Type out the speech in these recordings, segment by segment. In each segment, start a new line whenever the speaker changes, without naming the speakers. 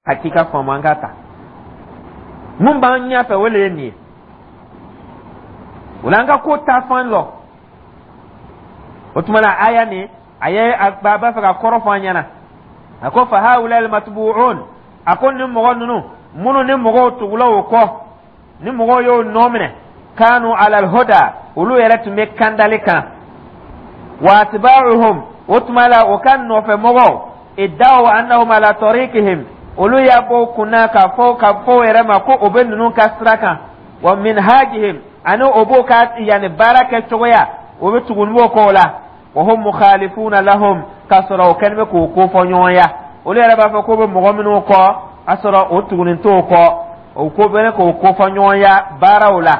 Hakika faamu, an ka ta mun b'an ɲɛfɛ, o le ye nin ye. O la, an ka ko ta fan lɔ. O tuma la, aya nin, a ye a b'a fɛ ka kɔrɔ fɔ an ɲɛna. A ko: fa haula almatbu'un, a ko ni mɔgɔ ninnu minnu ni mɔgɔw tugula o kɔ, ni mɔgɔw y'o nɔ minɛ, kanu ala alhuda, olu yɛrɛ tun bɛ kandali kan. Wa atba'uhum, o tuma la, o ka nɔfɛ mɔgɔw, iddaw annahum ala tariqihim, olu y'a bɔ u kunna k'a fɔ o yɛrɛ ma ko o bɛ ninnu ka sira kan, wa minhajihim, ani o b'o ka yanni baara kɛ cogoya, o bɛ tugu b'o kɔ o la. Wa hum mukhalifuna lahum, k'a sɔrɔ o kɛlen bɛ k'o kofɔ ɲɔgɔnya. Olu yɛrɛ b'a fɔ k'o bɛ mɔgɔ minnu kɔ, a sɔrɔ o tugunin t'o kɔ. O ko bɛ k'o kofɔ ɲɔgɔnya baaraw la.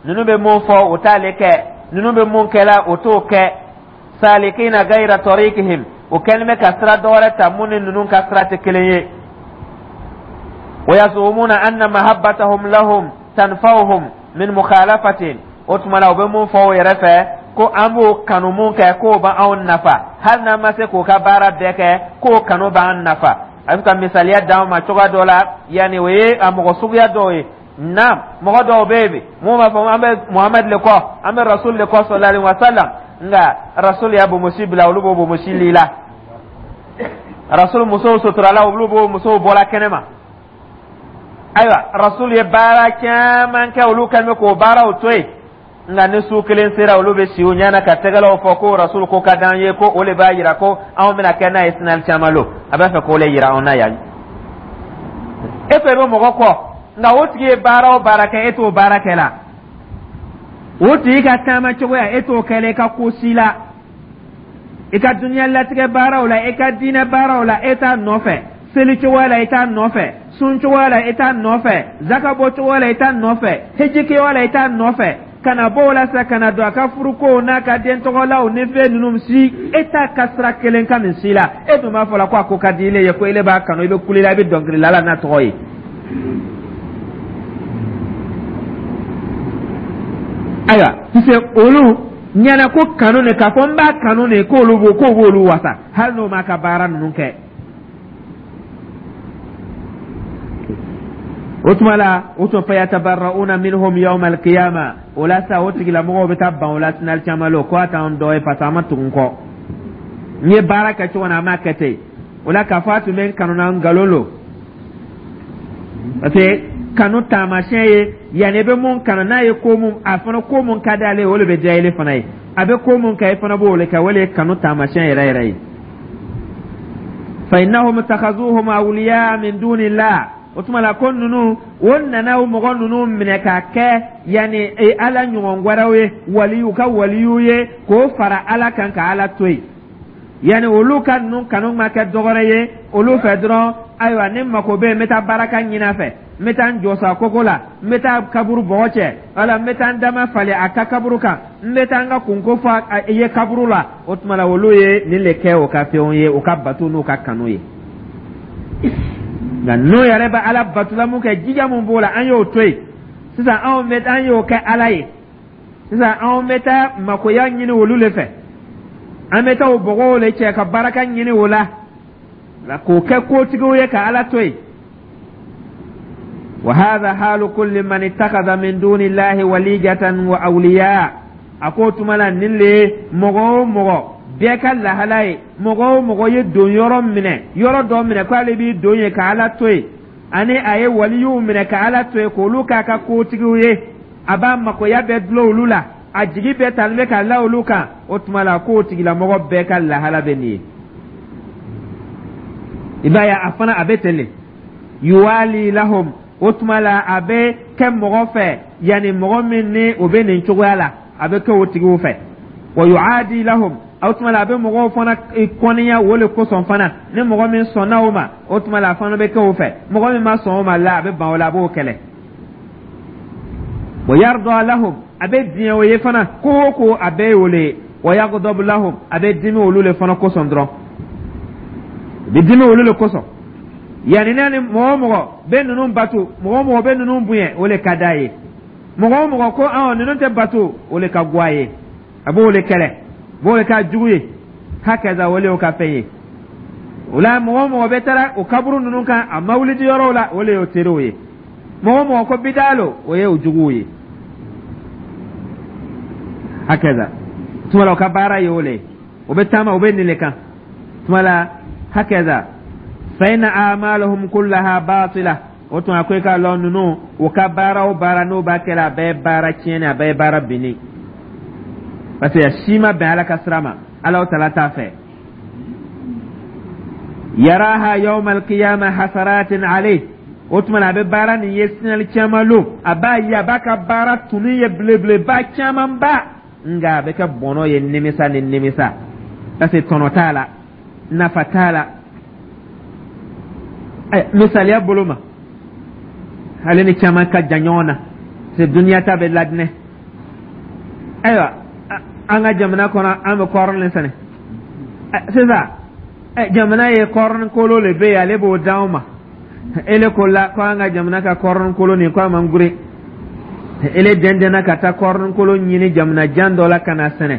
Ninnu bɛ mun fɔ, o t'ale kɛ. Ninnu bɛ mun kɛ la, o t'o kɛ. Salikina gayra tariqihim, o kɛlen bɛ ka sira dɔwɛrɛ ta mun ni ninnu ka sira tɛ kelen ye. Wa yazumuna anna mahabbatahum lahum tanfa'uhum min mukhalafatin. O tuma la, u bɛ mun fɔ o yɛrɛ fɛ ko an b'o kanu mun kɛ, k'o b'anw nafa, hali n'an ma se k'o ka baara bɛɛ kɛ, k'o kanu b'an nafa. A bɛ ka misaliya d'an ma cogoya dɔ la, yanni o ye a mɔgɔ suguya dɔw ye. Naam, mɔgɔ dɔw bɛ yen bi mun b'a fɔ: an bɛ Muhamadu le kɔ, an bɛ Rasul le kɔ, sallallahu alaihi wa sallam. Nka Rasul y'a bonmosi bila, olu b'o bonmosi li la. Rasul musow suturala, olu b'o musow bɔla kɛnɛ ma. Ayiwa, Rasul ye baara caman kɛ, olu kɛlen bɛ k'o baaraw to yen. Nka ni su kelen sera, olu bɛ si u ɲɛna ka tɛgɛlaw fɔ ko Rasul ko ka d'an ye, ko o de b'a yira ko anw bɛna kɛ n'a ye sinali caman lo. A b'a fɛ k'o le yira anw na yan. E fɛ bɛ mɔgɔ kɔ, nka o tigi ye baara o baara kɛ, e t'o baara kɛ la. O tigi ka taama cogoya, e t'o kɛ la. I ka ko si la, i ka duniya latigɛ baaraw la, i ka diinɛ baaraw la, e t'a nɔfɛ. Seli cogoya la, i t'a nɔfɛ. Sun cogoya la, i t'a nɔfɛ. Zaka bɔ cogoya la, i t'a nɔfɛ. Hiji cogoya la, i t'a nɔfɛ. Ka na bɔ o la sa, ka na don a ka furukow n'a ka den tɔgɔlaw ni fɛn ninnu si, e t'a ka sira kelen kan nin si la. E dun b'a fɔ la ko a ko ka di ile ye, ko ile b'a kanu, i bɛ kuli la, i bɛ dɔnkili la n'a tɔgɔ ye. Ayiwa, puisque olu ɲɛna ko kanu ne, k'a fɔ n b'a kanu ne, k'olu b'o k'o b'olu wasa, hali n'o m'a ka baara ninnu kɛ. O tuma la, o tun fa yatabarra'una minhum yawma alqiyama. O la sa, o tigilamɔgɔw bɛ taa ban o la sinali caman la, ko a t'an dɔ ye, parce que an ma tugu n kɔ. N ye baara kɛ cogo min na, an m'a kɛ ten. O la, k'a fɔ a tun bɛ n kanu na, nkalon lo, parce que kanu taamasiyɛn ye yanni i bɛ mun kanu n'a ye, ko mun a fana, ko mun ka d'ale ye, o de bɛ diya ile fana ye. A bɛ ko mun kɛ, i fana b'o de kɛ. O de ye kanu taamasiyɛn yɛrɛ yɛrɛ ye. Fa innahum takhazuhum awliya min dunillah. O tuma la, ko ninnu o nana o mɔgɔ ninnu minɛ k'a kɛ yanni Ala ɲɔgɔn wɛrɛw ye, waliyu ka waliyu ye, k'o fara Ala kan ka Ala to yen. Yanni olu ka ninnu kanu ma kɛ dɔwɛrɛ ye olu fɛ dɔrɔn. Ayiwa, ni mako bɛ yen, n bɛ taa baraka ɲini a fɛ, n bɛ taa n jɔ sa koko la, n bɛ taa kaburu bɔgɔ cɛ, wala n bɛ taa n dama falen a ka kaburu kan, n bɛ taa n ka kunko fɔ a ye kaburu la. O tuma la, olu ye nin de kɛ o ka fɛnw ye, o ka bato n'u ka kanu ye. Nka n'o yɛrɛ bɛ Ala batula mun kɛ, jija mun b'o la, an y'o to yen. Sisan anw bɛ an y'o kɛ Ala ye. Sisan anw bɛ taa makoya ɲini olu de fɛ, an bɛ taa o bɔgɔw de cɛ ka baraka ɲini o la, k'o kɛ kotigiw ye ka Ala to yen. Wa hadha halu kulli man ittakhadha min duni llahi walijatan wa awliya. A ko tuma la, nin le ye mɔgɔ o mɔgɔ bɛɛ ka lahala ye. Mɔgɔ o mɔgɔ ye don yɔrɔ minɛ, yɔrɔ dɔ minɛ k'ale b'i don yen ka Ala to yen, ani a ye waliyuw minɛ ka Ala to yen, k'olu k'a ka kotigiw ye, a b'a makoya bɛɛ dulon olu la, a jigi bɛɛ talen bɛ ka la olu kan. O tuma la, k'o tigilamɔgɔ bɛɛ ka lahala bɛ nin ye. I b'a ye, a fana a bɛ ten de. Yuwali lahum, o tuma la, a bɛ kɛ mɔgɔ fɛ, yanni mɔgɔ min ni o bɛ nin cogoya la, a bɛ kɛ o tigiw fɛ. Wa yuadi lahum, o tuma la, a bɛ mɔgɔw fana kɔniya o le kosɔn fana. Ni mɔgɔ min sɔnna o ma, o tuma la, a fana bɛ kɛ o fɛ. Mɔgɔ min ma sɔn o ma la, a bɛ ban o la, a b'o kɛlɛ. Wa yarda lahum, a bɛ diɲɛ o ye fana, ko o ko a bɛɛ ye o le ye. Wa yagdabu lahum, a bɛ dimi olu le fana kosɔn dɔrɔn, a bɛ dimi olu le kosɔn. Yanni n'a ni mɔgɔ o mɔgɔ bɛ ninnu bato, mɔgɔ o mɔgɔ bɛ ninnu bonya, o le ka d'a ye. Mɔgɔ o mɔgɔ ko awɔ, ninnu tɛ bato, o le ka go a ye, a b'o le kɛlɛ, a b'o le k'a jugu ye. Hakaza, o le y'o ka fɛn ye. O la, mɔgɔ o mɔgɔ bɛ taara o kaburu ninnu kan, a mawulidi yɔrɔw la, o le y'o teriw ye. Mɔgɔ o mɔgɔ ko bidaa lo, o ye o juguw ye. Hakaza tuma la, o ka baara ye o le ye, o bɛ taama, o bɛ nin le kan tuma la. Hakaza fa inna a'malahum kullaha batila. O tuma ko i k'a lɔn, ninnu u ka baara o baara n'o b'a kɛla, a bɛɛ ye baara tiɲɛni, a bɛɛ ye baara binni, parce que a si ma bɛn Ala ka sira ma, Ala tala t'a fɛ. Yaraha yawma alqiyama hasaratin alayh. O tuma na, a bɛ baara nin ye sinali caman lo, a b'a ye, a b'a ka baara tunu ye belebeleba camanba, nka a bɛ kɛ bɔnɔ ye, nimisa ni nimisa, parce que tɔnɔ t'a la, nafa t'a la. Misaliya bolo ma, ale ni caman ka jan ɲɔgɔn na, c'est duniya ta bɛ ladinɛ. Ayiwa, an ka jamana kɔnɔ, an bɛ kɔɔri le sɛnɛ sisan. Jamana ye kɔɔri kolo le bɛ yen, ale b'o d'anw ma. Ele ko la ko an ka jamana ka kɔɔri kolo nin ko a man gure. Ele dɛndɛnna ka taa kɔɔri kolo ɲini jamana jan dɔ la ka na sɛnɛ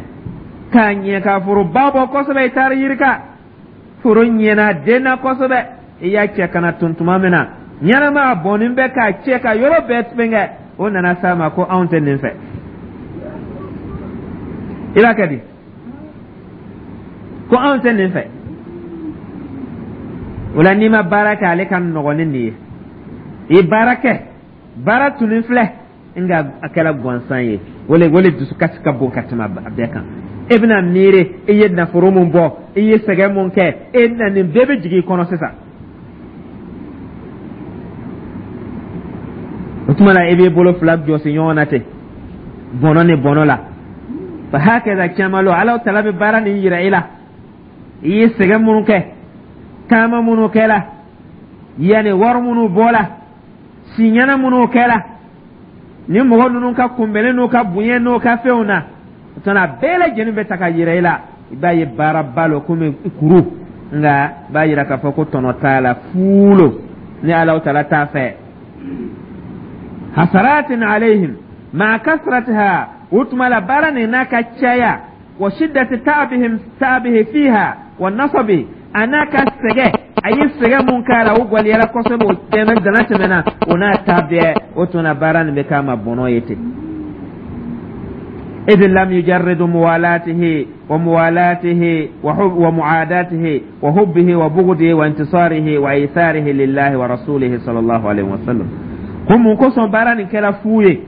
k'a ɲɛ, ka foroba bɔ kosɛbɛ. I taara yirika, foro ɲɛna, denna kosɛbɛ. I y'a cɛ ka na tun tuma min na, ɲɛnama a bɔnnin bɛ k'a cɛ ka yɔrɔ bɛɛ fɛnkɛ. O nana s'a ma ko anw tɛ nin fɛ. I b'a kɛ di? Ko anw tɛ nin fɛ. O la, n'i ma baara kɛ, ale ka nɔgɔn ni nin ye. I baara kɛ, baara tunin filɛ, nka a kɛra gansan ye. O le dusukasi ka bon ka tɛmɛ a bɛɛ kan. E bɛna miiri i ye nafolo mun bɔ, i ye sɛgɛn mun kɛ, e na nin bɛɛ bɛ jigin i kɔnɔ sisan. O tuma na, i b'i bolo fila jɔsi ɲɔgɔn na ten, bɔnɔ ni bɔnɔ la. Fa hakaza caman lo, Ala tala bɛ baara nin yira i la, i ye sɛgɛn minnu kɛ, taama minnu kɛla, yanni wari minnu bɔla, siɲɛna minnu kɛla ni mɔgɔ ninnu ka kunbɛnni n'u ka bonya n'u ka fɛnw na. O tuma a bɛɛ lajɛlen bɛ ta ka yira i la. I b'a ye baaraba lo komi kuru, nka i b'a yira k'a fɔ ko tɔnɔ t'a la, fu lo ni Ala tala t'a fɛ. Hasaratin alayhim ma kasratiha. O tuma la, baara nin n'a ka caya, wa shiddati ta'abihim ta'abihi fiha wa nasabi, a n'a ka sɛgɛ, a ye sɛgɛ mun k'a la, o gwaliyara kosɛbɛ, o tɛmɛ dana tɛmɛna, o n'a ta bɛɛ, o tuma baara nin bɛ k'a ma bɔnɔ ye ten. إذ لم يجرد موالاته وموالاته وحب ومعاداته وحبه وبغضه وانتصاره وإيثاره لله ورسوله صلى الله عليه وسلم. Ko mun kosɔn baara nin kɛra fu ye?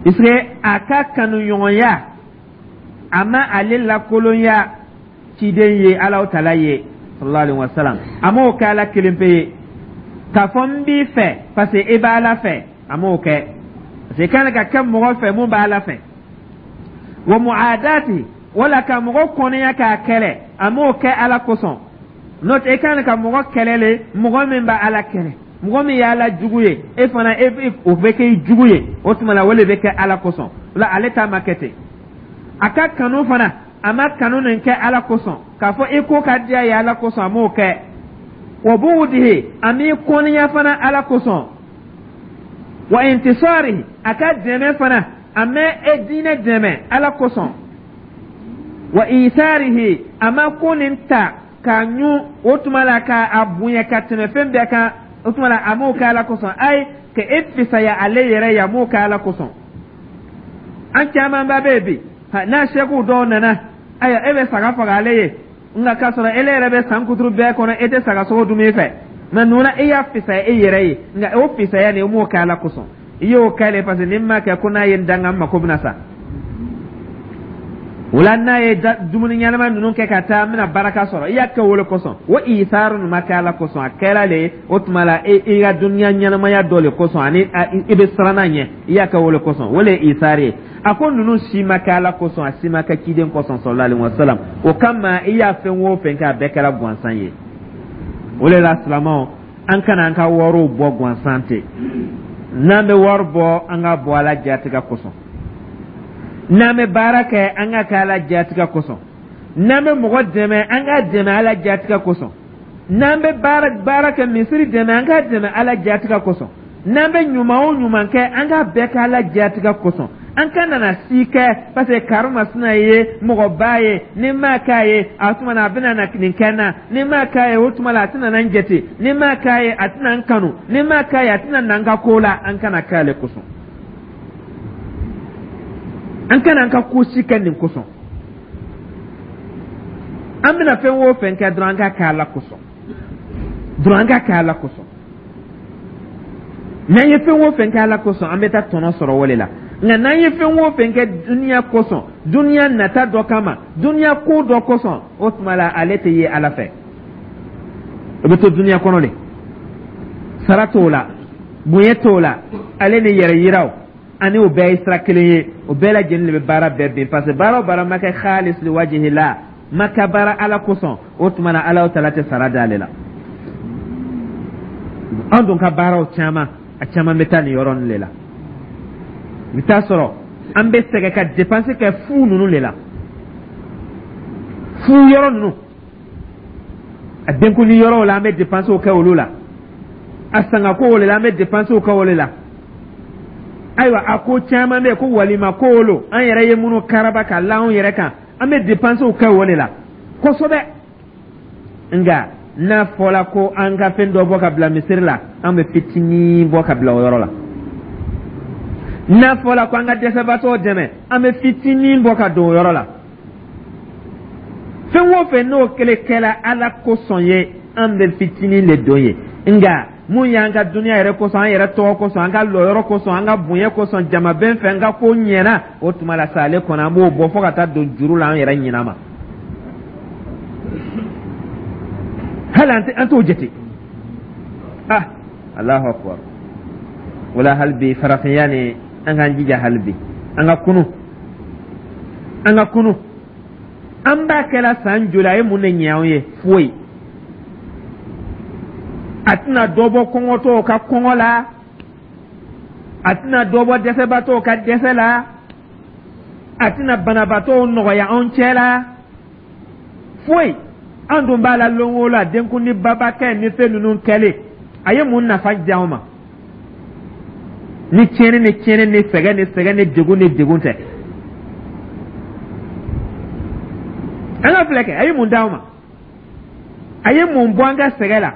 Puisque a ka kanuɲɔgɔnya, a ma ale lakolonya ciden ye, Ala tala ye, sallallahu alaihi wasallam. A m'o kɛ Ala kelen pe ye k'a fɔ n b'i fɛ parce que i b'Ala fɛ. A m'o kɛ parce que i kan ka kɛ mɔgɔ fɛ mun b'Ala fɛ. Wa mu'adati, wala ka mɔgɔ kɔniya k'a kɛlɛ, a m'o kɛ Ala kosɔn. N'o tɛ, i kan ka mɔgɔ kɛlɛ le, mɔgɔ min b'Ala kɛlɛ, mɔgɔ min y'Ala jugu ye, e fana e o bɛ kɛ i jugu ye. O tuma la, o de bɛ kɛ Ala kosɔn. O la, ale ta ma kɛ ten. A ka kanu fana, a ma kanu nin kɛ Ala kosɔn k'a fɔ i ko ka diya ye Ala kosɔn, a m'o kɛ. Wa bugudihi, a m'i kɔniya fana Ala kosɔn. Wa intisari, a ka dɛmɛ fana, a ma e diinɛ dɛmɛ Ala kosɔn. Wa isarihi, a ma ko nin ta k'a ɲun, o tuma la k'a bonya ka tɛmɛ fɛn bɛɛ kan, o tuma la a m'o kɛ Ala kosɔn. Ayi, ka e fisaya ale yɛrɛ ye, a m'o kɛ Ala kosɔn. An camanba bɛ yen bi, n'a sɛkiw dɔw nana, ayiwa, e bɛ saga faga ale ye, nka k'a sɔrɔ ele yɛrɛ bɛ san kuturu bɛɛ kɔnɔ, e tɛ saga sogo dun i fɛ. Mɛ nuna e y'a fisaya e yɛrɛ ye, nka o fisaya nin, o m'o kɛ Ala kosɔn. I y'o kɛ le parce que ni n m'a kɛ ko n'a ye n danga, n mako bɛna sa. O la, n'a ye dumuni ɲɛnama ninnu kɛ ka taa, n bɛna baraka sɔrɔ. I y'a kɛ o le kosɔn. O isaaru nin ma kɛ Ala kosɔn, a kɛra le o tuma la i ka duniya ɲɛnamaya dɔ le kosɔn, ani i bɛ siran a ɲɛ, i y'a kɛ o le kosɔn. O le ye isaari ye. A ko ninnu si ma kɛ Ala kosɔn, a si ma kɛ ciden kosɔn, sallallahu alaihi wasallam. O kama, i y'a fɛn o fɛn kɛ, a bɛɛ kɛra gansan ye. O de la, silamɛw, an kana an ka wariw bɔ gansan ten. N'an bɛ wari bɔ, an ka bɔ Ala jatigɛ kosɔn. N'an bɛ baara kɛ, an ka kɛ Ala jatigɛ kosɔn. N'an bɛ mɔgɔ dɛmɛ, an ka dɛmɛ Ala jatigɛ kosɔn. N'an bɛ baara baara kɛ, misiri dɛmɛ, an ka dɛmɛ Ala jatigɛ kosɔn. N'an bɛ ɲuman o ɲuman kɛ, an k'a bɛɛ kɛ Ala diyatigɛ kosɔn. An kana na si kɛ parce que karimasina ye mɔgɔba ye, ni m'a k'a ye, a tuma na a bɛna na nin kɛ n na, ni m'a k'a ye, o tuma la a tɛna na n jate, ni m'a k'a ye, a tɛna n kanu, ni m'a k'a ye, a tɛna na n ka ko la. An kana k'ale kosɔn, an kana an ka ko si kɛ nin kosɔn. An bɛna fɛn o fɛn kɛ dɔrɔn, an ka kɛ Ala kosɔn dɔrɔn, an ka kɛ Ala kosɔn. N'an ye fɛn o fɛn kɛ Ala kosɔn, an bɛ taa tɔnɔ sɔrɔ o de la. Nka n'an ye fɛn o fɛn kɛ duniya kosɔn, duniya nata dɔ kama, duniya ko dɔ kosɔn, o tuma la ale tɛ ye Ala fɛ, o bɛ to duniya kɔnɔ de. Sara t'o la, bonya t'o la, ale ni yɛrɛ yiraw ani o bɛɛ ye sira kelen ye. O bɛɛ lajɛlen de bɛ baara bɛɛ bin, parce que baara o baara ma kɛ khalis li wajihila, ma kɛ baara Ala kosɔn, o tuma na Ala taala tɛ sara d'ale la. An dun ka baaraw caman, a caman bɛ taa nin yɔrɔ nin de la. I bɛ taa sɔrɔ an bɛ sɛgɛn ka dépense kɛ fu ninnu de la, fu yɔrɔ ninnu, a denkundi yɔrɔw la, an bɛ dépensew kɛ olu la, a sangakow de la, an bɛ dépensew kɛ olu la. Ayiwa, a ko caman bɛ yen ko walima ko olu an yɛrɛ ye minnu karaba ka la anw yɛrɛ kan, an bɛ dépensew kɛ o de la kosɛbɛ. Nka n'a fɔra ko an ka fɛn dɔ bɔ ka bila misiri la, an bɛ fitinin bɔ ka bila o yɔrɔ la. N'a fɔra ko an ka dɛsɛbaatɔw dɛmɛ, an bɛ fitinin bɔ ka don o yɔrɔ la. Fɛn o fɛn n'o kɛlen kɛla Ala kosɔn ye, an bɛ fitinin de don ye. Nka mun y'an ka duniya yɛrɛ kosɔn, an yɛrɛ tɔgɔ kosɔn, an ka lɔyɔrɔ kosɔn, an ka bonya kosɔn jamabɛn fɛ, an ka ko ɲɛna, o tuma la sa ale kɔnɔ, an b'o bɔ fo ka taa don juru la an yɛrɛ ɲina ma. Hali an t'o jate. Ah, Alahu akbar! Wala hali bi farafinya ni an k'an jija, hali bi an ka kunu, an ka kunu. An b'a kɛla san joli, a ye mun de ɲɛ anw ye? Foyi. A tɛna dɔ bɔ kɔngɔtɔw ka kɔngɔ la, a tɛna dɔ bɔ dɛsɛbaatɔw ka dɛsɛ la, a tɛna banabaatɔw nɔgɔya anw cɛ la, foyi. An dun b'a la lon o la, denkundi babakɛ ni fɛn ninnu kɛlen, a ye mun nafa di anw ma ni tiɲɛni ni tiɲɛni ni sɛgɛn ni sɛgɛn ni degun ni degun tɛ? An ka filɛ kɛ, a ye mun d'anw ma? A ye mun bɔ an ka sɛgɛn la?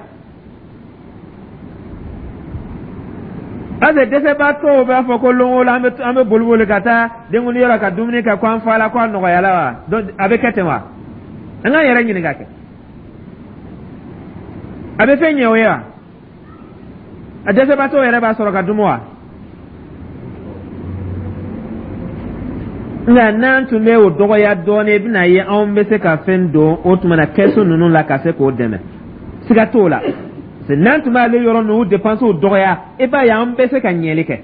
Parce que dɛsɛbaatɔw b'a fɔ ko lon o lon an bɛ boli boli ka taa denkundi yɔrɔ ka dumuni kɛ, ko an fa la, ko a nɔgɔyala wa? Donc a bɛ kɛ ten wa? An k'an yɛrɛ ɲininka kɛ, a bɛ fɛn ɲɛ o ye wa? A dɛsɛbaatɔw yɛrɛ b'a sɔrɔ ka dumu wa? Nka n'an tun bɛ o dɔgɔya dɔɔnin, i bɛna ye anw bɛ se ka fɛn don o tuma na kɛsu ninnu la ka se k'o dɛmɛ, siga t'o la. N'an tun b'ale yɔrɔ ninnu dépenses dɔgɔya, i b'a ye an bɛ se ka ɲɛli kɛ.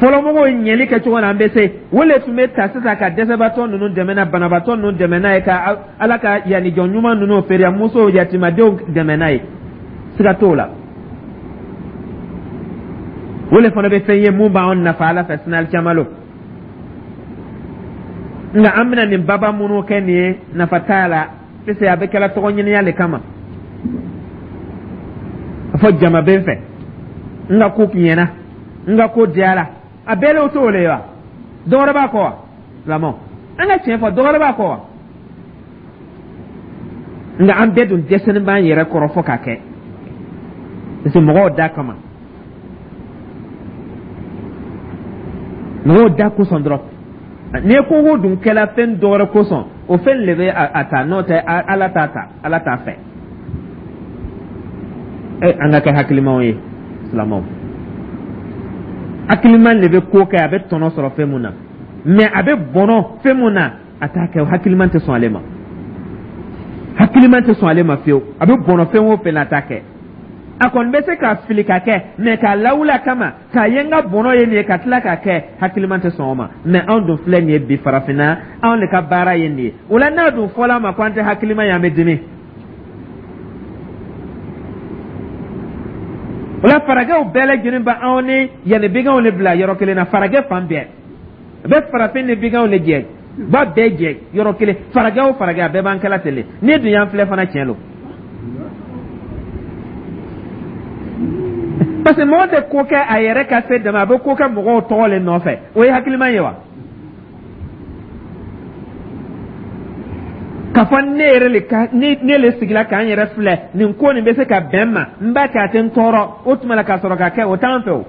Fɔlɔmɔgɔw ye ɲɛli kɛ cogo na, an bɛ se o le tun bɛ ta sisan ka dɛsɛbaatɔ ninnu dɛmɛ n'a, banabaatɔ ninnu dɛmɛ n'a ye, ka Ala ka yanni jɔn ɲuman ninnu, feriyamusow, yatimadenw dɛmɛ n'a ye, siga t'o la. O le fana bɛ fɛn ye mun b'anw nafa Ala fɛ sini alikiyama lon. Nka an bɛna nin baba minnu kɛ nin ye, nafa t'a la, parce que a bɛ kɛla tɔgɔ ɲiniya le kama. A fɔ jama bɛ n fɛ, n ka ko ɲɛna, n ka ko diyara, a bɛɛ le t'o le ye wa? Dɔ wɛrɛ b'a kɔ wa? Silamɛw, an ka tiɲɛ fɔ, dɔ wɛrɛ b'a kɔ wa? Nka an bɛɛ dun dɛsɛlen b'an yɛrɛ kɔrɔ fɔ k'a kɛ, parce que mɔgɔw da kama, mɔgɔw da kosɔn dɔrɔn. N'i ye ko ko dun kɛla fɛn dɔ wɛrɛ kosɔn, o fɛn le bɛ a ta, n'o tɛ Ala t'a ta, Ala t'a fɛ. E, an ka kɛ hakilimaw ye silamɛw. Hakiliman de bɛ ko kɛ a bɛ tɔnɔ sɔrɔ fɛn mun na, mais a bɛ bɔnɔ fɛn mun na, a t'a kɛ. Hakiliman tɛ sɔn ale ma, hakiliman tɛ sɔn ale ma fiyewu. A bɛ bɔnɔ fɛn o fɛn na, a t'a kɛ. A kɔni bɛ se ka fili ka kɛ, mais k'a lawuli a kama k'a ye n ka bɔnɔ ye nin ye, ka tila k'a kɛ, hakiliman tɛ sɔn o ma. Mais anw dun filɛ nin ye bi farafinna, anw de ka baara ye nin ye. O la n'a dun fɔla an ma ko an tɛ hakiliman ye, an bɛ dimi. O la faragɛw bɛɛ lajɛlen bɛ anw ni yanni biganw de bila yɔrɔ kelen na. Faragɛ fan bɛɛ a bɛ farafin ni biganw de jɛ, ba bɛɛ jɛ yɔrɔ kelen. Faragɛ o faragɛ, a bɛɛ b'an kɛla ten de. N'i dun y'an filɛ fana, tiɲɛ don. Parce que mɔgɔ tɛ ko kɛ a yɛrɛ ka se dama, a bɛ ko kɛ mɔgɔw tɔgɔ le nɔfɛ. O ye hakilima ye wa? K'a fɔ ne yɛrɛ le ka ne ne le sigila k'an yɛrɛ filɛ, nin ko nin bɛ se ka bɛn n ma, n b'a kɛ, a tɛ n tɔɔrɔ. O tuma la ka sɔrɔ ka kɛ, o t'an fɛ o.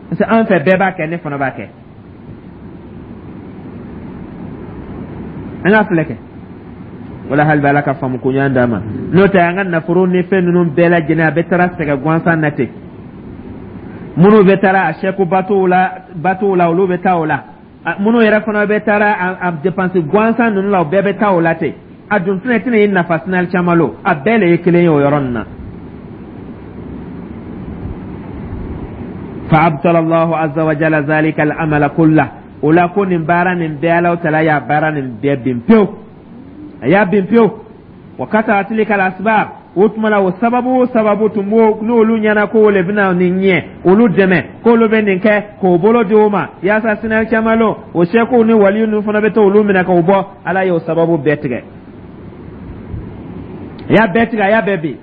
Parce que an fɛ, bɛɛ b'a kɛ, ne fana b'a kɛ. An k'a filɛ kɛ wala hali bɛ Ala ka faamu ko ɲuman d'an ma. N'o tɛ, an ka nafolo ni fɛn ninnu bɛɛ lajɛlen, a bɛ taara sɛgɛn gansan na ten. Minnu bɛ taara a sɛku batow la, batow la, olu bɛ taa o la. Minnu yɛrɛ fana bɛ taara a dépense gansan ninnu la, o bɛɛ bɛ taa o la ten. A dun fana tɛna i nafa sinali caman lo. A bɛɛ le ye kelen ye o yɔrɔ nin na. Fa abtala Allahu azza wa jalla zalika al-amala kullah. O la ko nin baara nin bɛɛ, Alahu taala y'a baara nin bɛɛ bin pewu, a y'a bin pewu. Wa kata tilka al-asbab. O tuma la, o sababu o sababu tun b'o, n'olu ɲɛna ko o le bɛna nin ɲɛ, olu dɛmɛ k'olu bɛ nin kɛ, k'o bolo di o ma yaasa sinali caman lo, o sɛkuw ni waliyu ninnu fana bɛ to olu minɛ k'o bɔ. Ala y'o sababu bɛɛ tigɛ, a y'a bɛɛ tigɛ, a y'a bɛɛ bin.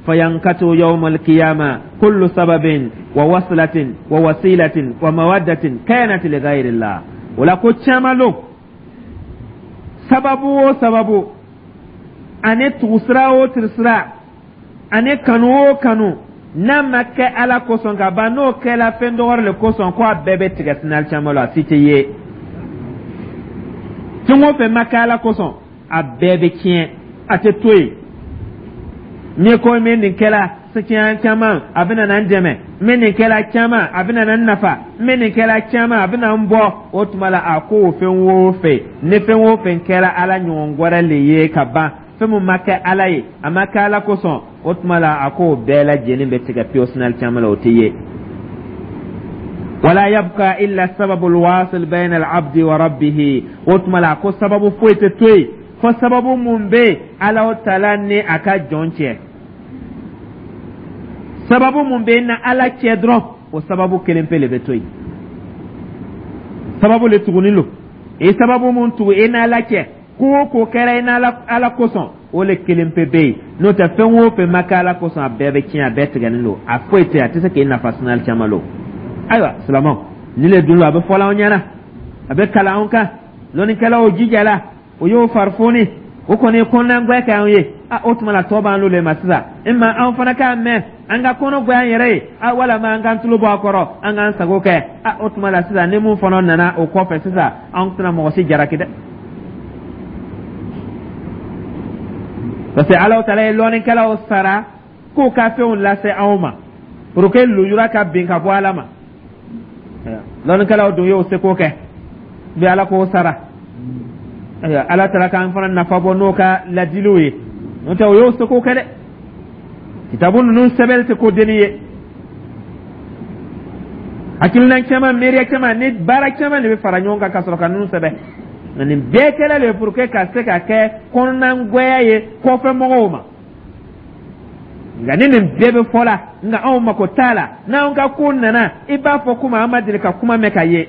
Fayankatu yawma alqiyama kullu sababin wa waslatin wa wasilatin wa mawaddatin kanat li ghayrillah. O la ko caman lo, sababu o sababu, ani tugusira o tugusira, ani kanu o kanu, n'a ma kɛ Ala kosɔn ka ban, n'o kɛla fɛn dɔgɔrɔ le kosɔn, ko a bɛɛ bɛ tigɛ sinali caman la, a si tɛ ye. Fɛn o fɛn ma kɛ Ala kosɔn, a bɛɛ bɛ tiɲɛ, a tɛ to yen. N'i ko n bɛ nin kɛla tiɲɛ caman, a bɛna na n dɛmɛ, n bɛ nin kɛla caman, a bɛna na n nafa, n bɛ nin kɛla caman, a bɛna n bɔ, o tuma la a ko o fɛn o fɛn, ni fɛn o fɛn kɛra Ala ɲɔgɔn wɛrɛ le ye ka ban, fɛn min ma kɛ Ala ye, a ma kɛ Ala kosɔn, o tuma la a ko o bɛɛ lajɛlen bɛ tigɛ pewu sinali caman la, o tɛ ye. Wala yabqa illa sababul wasil bayna al-abdi wa rabbihi. O tuma la a ko sababu foyi tɛ to yen fo sababu mun bɛ Ala taala ni a ka jɔn cɛ. Sababu mun bɛ na Ala cɛ dɔrɔn, o sababu kelen pe le bɛ to yen. Sababu le tugunin lo, i sababu mun tugu i n'Ala cɛ, ko o ko kɛra i n'Ala Ala kosɔn, o le kelen pe bɛ yen. N'o tɛ, fɛn o fɛn ma kɛ Ala kosɔn, a bɛɛ bɛ tiɲɛ, a bɛɛ tigɛnen don, a foyi tɛ yen, a tɛ se k'i nafa sinali caman lo. Ayiwa silamɛw, nin le dun lo, a bɛ fɔla anw ɲɛna, a bɛ kalan anw kan. Lɔnnikɛlaw jijala, o y'o farifoni, o kɔni ye kɔnɔnagwɛ kɛ anw ye. A o tuma la, tɔ b'an le ma sisan. E ma anw fana k'a mɛn, an ka kɔnɔ gwɛ an yɛrɛ ye, a walama an k'an tulo bɔ a kɔrɔ, an k'an sago kɛ. A o tuma la sisan, ni mun fana nana o kɔfɛ sisan, anw tɛna mɔgɔ si jalaki dɛ, parce que Alahu taala ye lɔnnikɛlaw sara k'u ka fɛnw lase anw ma pour que lujura ka bin ka bɔ Ala ma. Lɔnnikɛlaw dun y'o seko kɛ bi, Ala k'o sara. Ayiwa, Ala taala k'an fana nafa bɔ n'o ka ladiliw ye. N'o tɛ, o y'o seko kɛ dɛ. Kitabu ninnu sɛbɛnni tɛ ko denni ye. Hakilina caman, miiriya caman ni baara caman de bɛ fara ɲɔgɔn kan ka sɔrɔ ka ninnu sɛbɛn. Nka nin bɛɛ kɛla le pour que ka se ka kɛ kɔnɔnagwɛya ye kɔfɛ mɔgɔw ma. Nka ni nin bɛɛ bɛ fɔ la, nka anw mako t'a la. N'anw ka ko nana, i b'a fɔ komi an ma deli ka kuma mɛn ka ye.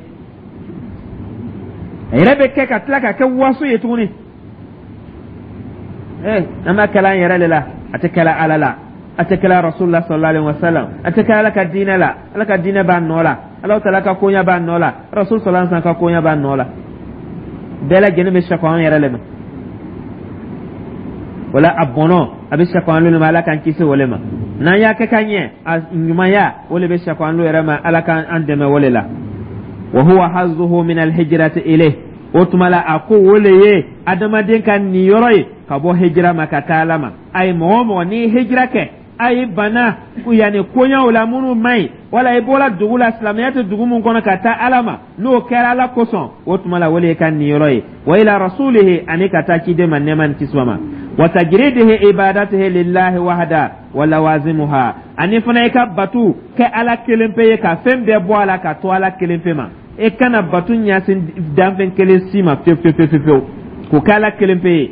A yɛrɛ bɛ kɛ ka tila ka kɛ waso ye tuguni. Ee, an b'a kɛla an yɛrɛ de la, a tɛ kɛla Ala la, a tɛ kɛla Rasulullah sallallahu alaihi wasallam, a tɛ kɛla Ala ka diinɛ la. Ala ka diinɛ b'a nɔ la, Ala taala ka koɲa b'a nɔ la, Rasul sallallahu alaihi wasallam ka koɲa b'a nɔ la. Bɛɛ lajɛlen bɛ sako an yɛrɛ le ma. Wala a bɔnɔ a bɛ sako an ma, Ala k'an kisi o le ma. N'an y'a kɛ ka ɲɛ, a ɲumanya o le bɛ sako an yɛrɛ ma, Ala k'an dɛmɛ o le la. Wa huwa hazzuhu min alhijrati ilayh. O tuma la a ko o le ye adamaden ka niyɔrɔ ye ka bɔ hijira ma ka taa Ala ma. A ye mɔgɔ o mɔgɔ n'i ye hijira kɛ, a ye bana yanni koɲaw la minnu man ɲi, wala i bɔra dugu la, silamɛya tɛ dugu min kɔnɔ, ka taa Ala ma, n'o kɛra Ala kosɔn, o tuma la o le ye ka niyɔrɔ ye. Wa ila rasulihi, ani ka taa ciden ma, nɛɛma ni kisi ma. Wa tajridihi ibadatihi lillahi wahda wa lawazimuha, ani fana i ka batu kɛ Ala kelen pe ye, ka fɛn bɛɛ bɔ a la ka to Ala kelen pe ma. E kana batu ɲɛsin danfɛn kelen si ma fewu fewu fewu fewu, k'o kɛ Ala kelen pe ye.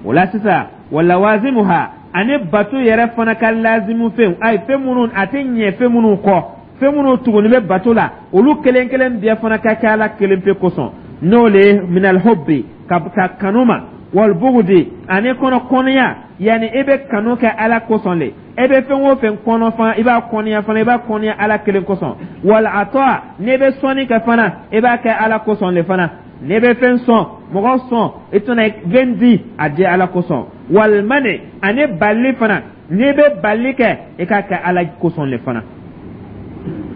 O la sisan, wa lawazimuha, ani batu yɛrɛ fana ka lazimu fɛnw, ayi, fɛn minnu a tɛ ɲɛ fɛn minnu kɔ, fɛn minnu tuguni bɛ bato la, olu kelen kelen bɛɛ fana ka kɛ Ala kelen pe kosɔn. N'o le ye minal hubbi, ka kanu ma, wal bugudi, ani kɔnɔ kɔniya. Yanni i bɛ kanu kɛ Ala kosɔn le. E bɛ fɛn o fɛn kɔnɔ fana, i b'a kɔniya fana, i b'a kɔniya Ala kelen kosɔn. Wal ata, n'i bɛ sɔnni kɛ fana, i b'a kɛ Ala kosɔn le fana. N'i bɛ fɛn sɔn, mɔgɔ sɔn, i tɛna fɛn di, a di Ala kosɔn. Wal mani, ani balili fana, n'i bɛ balili kɛ, i k'a kɛ Ala kosɔn le fana.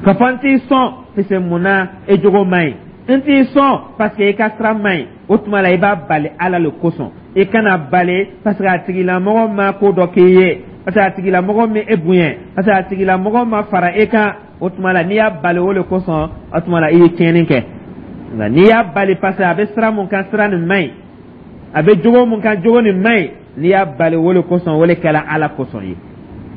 Ka fɔ n t'i sɔn parce que mun na? E jogo man ɲi. N t'i sɔn parce que i ka sira man ɲi. O tuma la, i b'a bali Ala le kosɔn. I kana bali parce que a tigilamɔgɔ ma ko dɔ k'i ye, parce que a tigilamɔgɔ ma e bonya, parce que a tigilamɔgɔ ma fara e kan. O tuma la, n'i y'a bali o le kosɔn, o tuma la, i ye tiɲɛni kɛ. Nka n'i y'a bali parce que a bɛ sira mun kan, sira nin man ɲi, a bɛ jogo mun kan, jogo nin man ɲi, n'i y'a bali o le kosɔn, o le kɛra Ala kosɔn ye.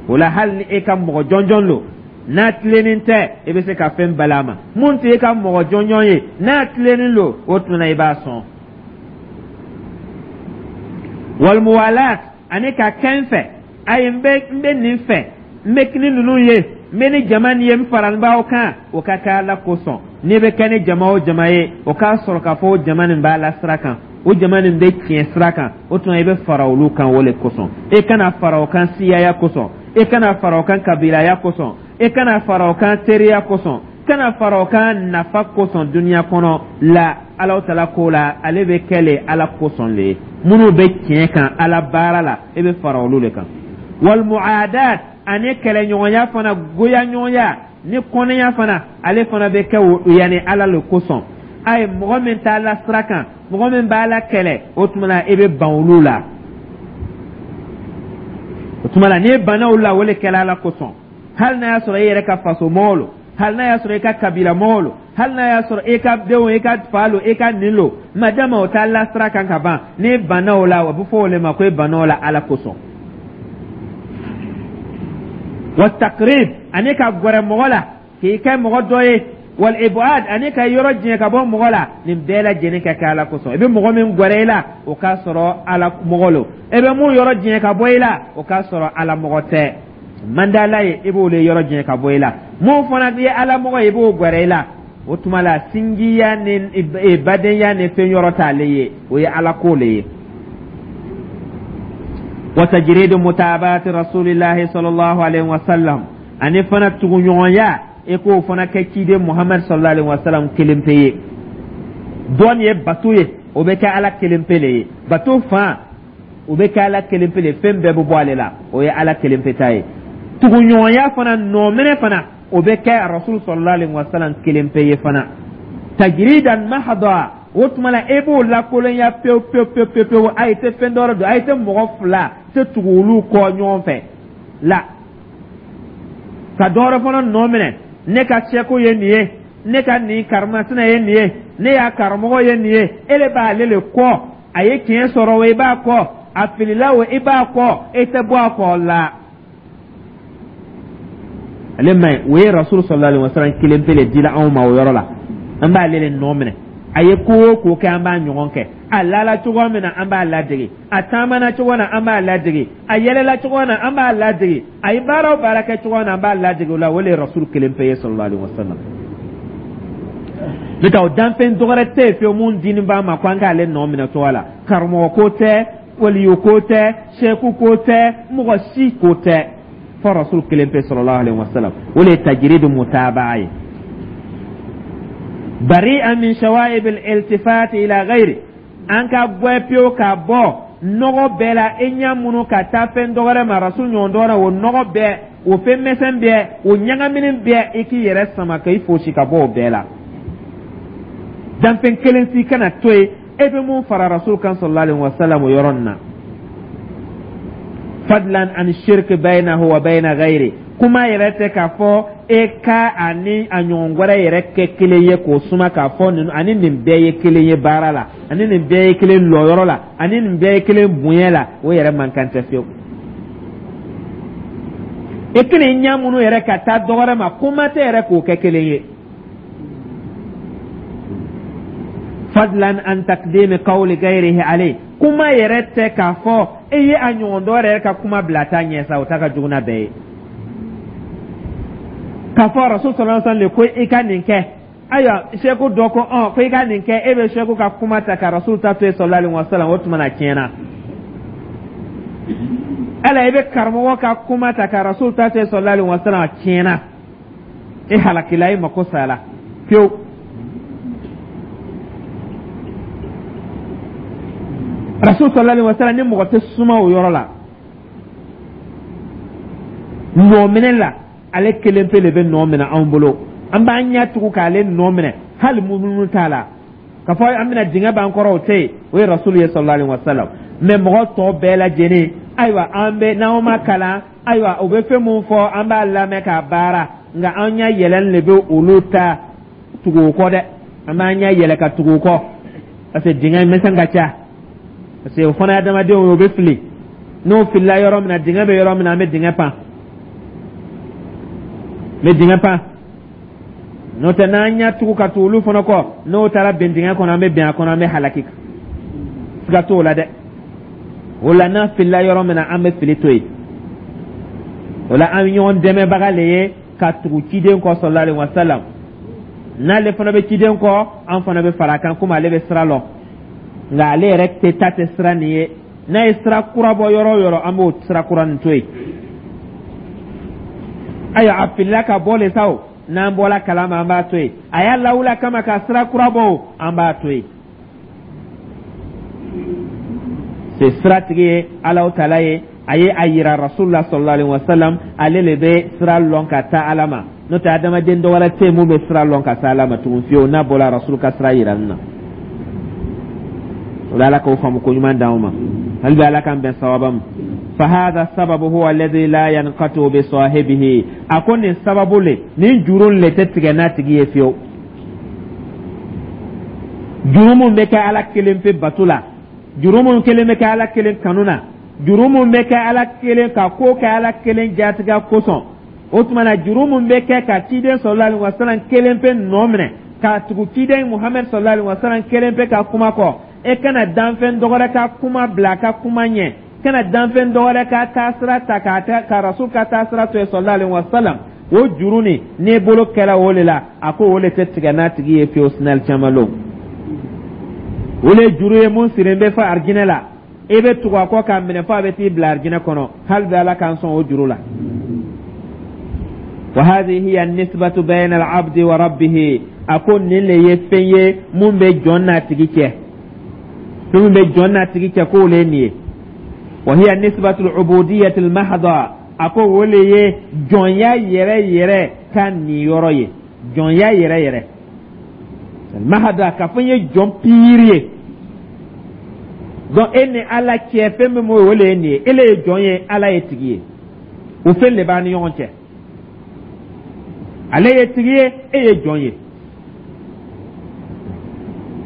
O la, hali ni e ka mɔgɔ jɔnjɔn lo, n'a tilennen tɛ, i bɛ se ka fɛn bali a ma. Mun tɛ e ka mɔgɔ jɔnjɔn ye, n'a tilennen lo, o tuma na, i b'a sɔn. Wal muwalat, ani ka kɛ n fɛ. Ayi, n bɛ nin fɛ, n bɛ ni ninnu ye, n bɛ ni jama nin ye, n faralen b'aw kan, o ka kɛ Ala kosɔn. N'i bɛ kɛ ni jama o jama ye, o k'a sɔrɔ k'a fɔ o jama nin b'a la sira kan, o jama nin bɛ tiɲɛ sira kan, o tuma i bɛ fara olu kan o le kosɔn. E kana fara o kan siyaya kosɔn, e kana fara o kan kabilaya kosɔn, e kana fara o kan teriya kosɔn, kana fara o kan nafa kosɔn duniya kɔnɔ la. Alahu Tala ko la, ale bɛ kɛ le Ala kosɔn le ye. Minnu bɛ tiɲɛ kan Ala baara la, e bɛ fara olu de kan. Wal muadat, ani kɛlɛɲɔgɔnya fana, goyaɲɔgɔnya ni kɔnɛya fana, ale fana bɛ kɛ yanni Ala le kosɔn. A ye mɔgɔ min t'a la sira kan, mɔgɔ min b'a la kɛlɛ, o tuma na, e bɛ ban olu la. O tuma la, n'i banna olu la, o de kɛla Ala kosɔn. Hali n'a y'a sɔrɔ e yɛrɛ ka faso mɔgɔw lo, hali n'a y'a sɔrɔ i ka kabila mɔgɔw lo, hali n'a y'a sɔrɔ e ka denw, e ka fa lo, e ka nin lo, madama o t'a la sira kan ka ban, n'i banna o la, o bɛ fɔ o le ma ko e banna o la Ala kosɔn. Wa taqrib, ani ka gɛrɛ mɔgɔ la k'i kɛ mɔgɔ dɔ ye. Wal ibad, ani ka yɔrɔ janya ka bɔ mɔgɔ la, nin bɛɛ lajɛlen ka kɛ Ala kosɔn. I bɛ mɔgɔ min gɛrɛ i la, o k'a sɔrɔ Ala mɔgɔ lo. E bɛ mun yɔrɔ janya ka bɔ i la, o k'a sɔrɔ Ala mɔgɔ tɛ, man di Ala ye, i b'o de yɔrɔ janya ka bɔ i la. Mun fana ye Ala mɔgɔ ye, i b'o gɛrɛ i la. O tuma la, sinjiya ni badenya ni fɛn yɔrɔ t'ale ye, o ye Ala ko le ye. Wa tajridu mutabati rasulillahi sallallahu alaihi wasallam, ani fana tuguɲɔgɔnya, e k'o fana kɛ ciden Muhammad sallallahu alaihi wasallam kelen pe ye. Dɔn ye bato ye, o bɛ kɛ Ala kelen pe le ye. Bato fan, o bɛ kɛ Ala kelen pe le, fɛn bɛɛ bɛ bɔ ale la, o ye Ala kelen pe ta ye. Tuguɲɔgɔnya fana, nɔminɛ fana, o bɛ kɛ Rasul sallallahu alaihi wasallam kelen pe ye fana. Tajridan mahda, o tuma la, e b'o lakolonya pewu pewu pewu pewu pewu. A ye tɛ fɛn dɔ don, a ye tɛ mɔgɔ fila tɛ tugu olu kɔ ɲɔgɔn fɛ la ka dɔ wɛrɛ fana nɔ minɛ. Ne ka sɛko ye nin ye, ne ka nin karimasina ye nin ye, ne y'a karamɔgɔ ye nin ye, e de b'ale le kɔ. A ye tiɲɛ sɔrɔ o, i b'a kɔ, a filila o, i b'a kɔ, e tɛ bɔ a kɔ la. Ale ma ɲi. O ye Rasul sallallahu alaihi wasallam kelen pe le dila anw ma. O yɔrɔ la, an b'ale le nɔ minɛ. A ye ko o ko kɛ, an b'a ɲɔgɔn kɛ. A lala cogo min na, an b'a ladege. A taamana cogo na, an b'a ladege. A yɛlɛla cogo na, an b'a ladege. A ye baara o baara kɛ cogo na, an b'a ladege. O la, o le ye Rasul kelen pe ye sallallahu alaihi wasallam. N'o tɛ, o danfɛn dɔwɛrɛ tɛ yen fiyewu mun dini b'a ma ko an k'ale nɔ minɛ cogo la. Karamɔgɔ ko tɛ, waliyu ko tɛ, seku ko tɛ, mɔgɔ si ko tɛ, fɔ Rasul kelen pe sallallahu alaihi wasallam. O le ye tajiridu mutabaa ye. Bari'a min shawaib al-iltifat ila ghairi, an ka gwɛ pewu ka bɔ nɔgɔ bɛɛ la, e ɲɛ minnu ka taa fɛn dɔwɛrɛ ma, Rasul ɲɔgɔn dɔwɛrɛ, o nɔgɔ bɛɛ, o fɛn misɛn bɛɛ, o ɲagamini bɛɛ, i k'i yɛrɛ sama ka i fosi ka bɔ o bɛɛ la. Danfɛn kelen si kana to yen e bɛ mun fara Rasul kan sallallahu alaihi wasallam o yɔrɔ nin na. Fadlan an shirk baynahu wa bayna ghairi, kuma yɛrɛ tɛ k'a fɔ e ka ani a ɲɔgɔn wɛrɛ yɛrɛ kɛ kelen ye, k'o suma k'a fɔ nin ani nin bɛɛ ye kelen ye baara la, ani nin bɛɛ ye kelen lɔyɔrɔ la, ani nin bɛɛ ye kelen bonya la, o yɛrɛ man kan tɛ fiyewu. E kelen ɲɛ minnu yɛrɛ ka taa dɔ wɛrɛ ma, kuma tɛ yɛrɛ k'o kɛ kelen ye. Fadlan an taqdimi qawli ghayrihi alayhi, kuma yɛrɛ tɛ k'a fɔ e ye a ɲɔgɔn dɔ yɛrɛ ka kuma bila ta ɲɛ sa, o ta ka jugu n'a bɛɛ ye. K'a fɔ Rasul sallallahu alaihi wasallam ko i ka nin kɛ, ayiwa, seku dɔ ko ko i ka nin kɛ, e bɛ seku ka kuma ta ka Rasul ta to yen sallallahu alaihi wasallam, o tuma na tiɲɛna. Ala i bɛ karamɔgɔ ka kuma ta ka rasul ta tɛ sallallahu alaihi wasallam, a tiɲɛna, e halakila, e mako sala pewu. Rasul sallallahu alaihi wasallam ni mɔgɔ tɛ suma o yɔrɔ la nɔ minɛ la, ale kelen pe de bɛ nɔ minɛ anw bolo. An b'an ɲɛ tugu k'ale nɔ minɛ, hali munumunu t'a la k'a fɔ an bɛna dingɛ b'an kɔrɔ, o tɛ yen. O ye rasulu ye sallallahu alaihi wasallam. Mɛ mɔgɔ tɔ bɛɛ lajɛlen, ayiwa, an bɛ n'anw ma kalan, ayiwa, u bɛ fɛn mun fɔ, an b'a lamɛn k'a baara, nka an ɲɛ yɛlɛn de bɛ olu ta tugu o kɔ dɛ. An b'an ɲɛ yɛlɛ ka tugu o kɔ parce que dingɛ misɛn ka ca, parce que o fana ye adamadenw ye, o bɛ fili. N'o filila yɔrɔ min na, dingɛ bɛ yɔrɔ min na, an bɛ dingɛ pan, n bɛ dingɛ pan. N'o tɛ, n'an ɲɛ tugu ka tugu olu fana kɔ, n'o taara bin dingɛ kɔnɔ, an bɛ bin a kɔnɔ, an bɛ halaki, siga t'o la dɛ. O la, n'an filila yɔrɔ min na, an bɛ fili to yen. O la, an bɛ ɲɔgɔn dɛmɛbaga le ye ka tugu ciden kɔ sallallahu alaihi wasallam. N'ale fana bɛ ciden kɔ, an fana bɛ fara a kan, komi ale bɛ sira lɔn, nka ale yɛrɛ tɛ ta tɛ sira nin ye. N'a ye sira kura bɔ yɔrɔ o yɔrɔ, an b'o sira kura nin to yen. Ayiwa, a filila ka bɔ le sa o, n'an bɔla kalama, an b'a to yen. A y'a lawuli kama ka sira kura bɔ o, an b'a to yen. Se siratigi ye Alahu taala ye, a ye a yira rasulula sallallahu alaihi wasallam, ale le bɛ sira lɔn ka taa Ala ma. N'o tɛ, adamaden dɔ wɛrɛ tɛ yen mun bɛ sira lɔn ka se Ala ma tugun fiyewu, n'a bɔra rasul ka sira yirali na. O la, Ala k'o faamu ko ɲuman d'anw ma. Hali bi, Ala k'an bɛn sawaba ma. Fahada sababu huwa alladhi la yanqatu bi sahibihi. A ko nin sababu le, nin juru le tɛ tigɛ n'a tigi ye fiyewu. Juru mun bɛ kɛ Ala kelen pe bato la, juru mun kelen bɛ kɛ Ala kelen kanu na, juru mun bɛ kɛ Ala kelen ka ko kɛ Ala kelen jatigɛ kosɔn, o tuma na, juru mun bɛ kɛ ka ciden sallallahu alaihi wasallam kelen pe nɔ minɛ, ka tugu ciden Muhamɛd sallallahu alaihi wasallam kelen pe ka kuma kɔ, e kana danfɛn dɔwɛrɛ ka kuma bila a ka kuma ɲɛ, kana danfɛn dɔwɛrɛ ka taasira ta ka rasul ka taasira to yen sallallahu alaihi wasallam, o juru nin, n'e bolo kɛra o le la, a ko o le tɛ tigɛ n'a tigi ye fiyewu sinali caman lon. O le juru ye mun sirilen bɛ fo arijinɛ la, e bɛ tugu a kɔ k'a minɛ fo a bɛ t'i bila arijinɛ kɔnɔ. Hali bi, Ala k'an sɔn o juru la. Wa hadhihi hiya nisbatu bayna al-abdi wa rabbih. A ko nin le ye fɛn ye mun bɛ jɔn n'a tigi cɛ, fɛn min bɛ jɔn n'a tigi cɛ, k'o le ye nin ye. Wa hiya nisbatu al-ubudiyyati al-mahdha. A ko o le ye jɔnya yɛrɛ yɛrɛ ka niyɔrɔ ye, jɔnya yɛrɛ yɛrɛ mahada, k'a fɔ n ye jɔn piiri ye. Donc e ni Ala cɛ, fɛn min b'o, o le ye nin ye. E le ye jɔn ye, Ala ye tigi ye. O fɛn de b'an ni ɲɔgɔn cɛ. Ale ye tigi ye, e ye jɔn ye.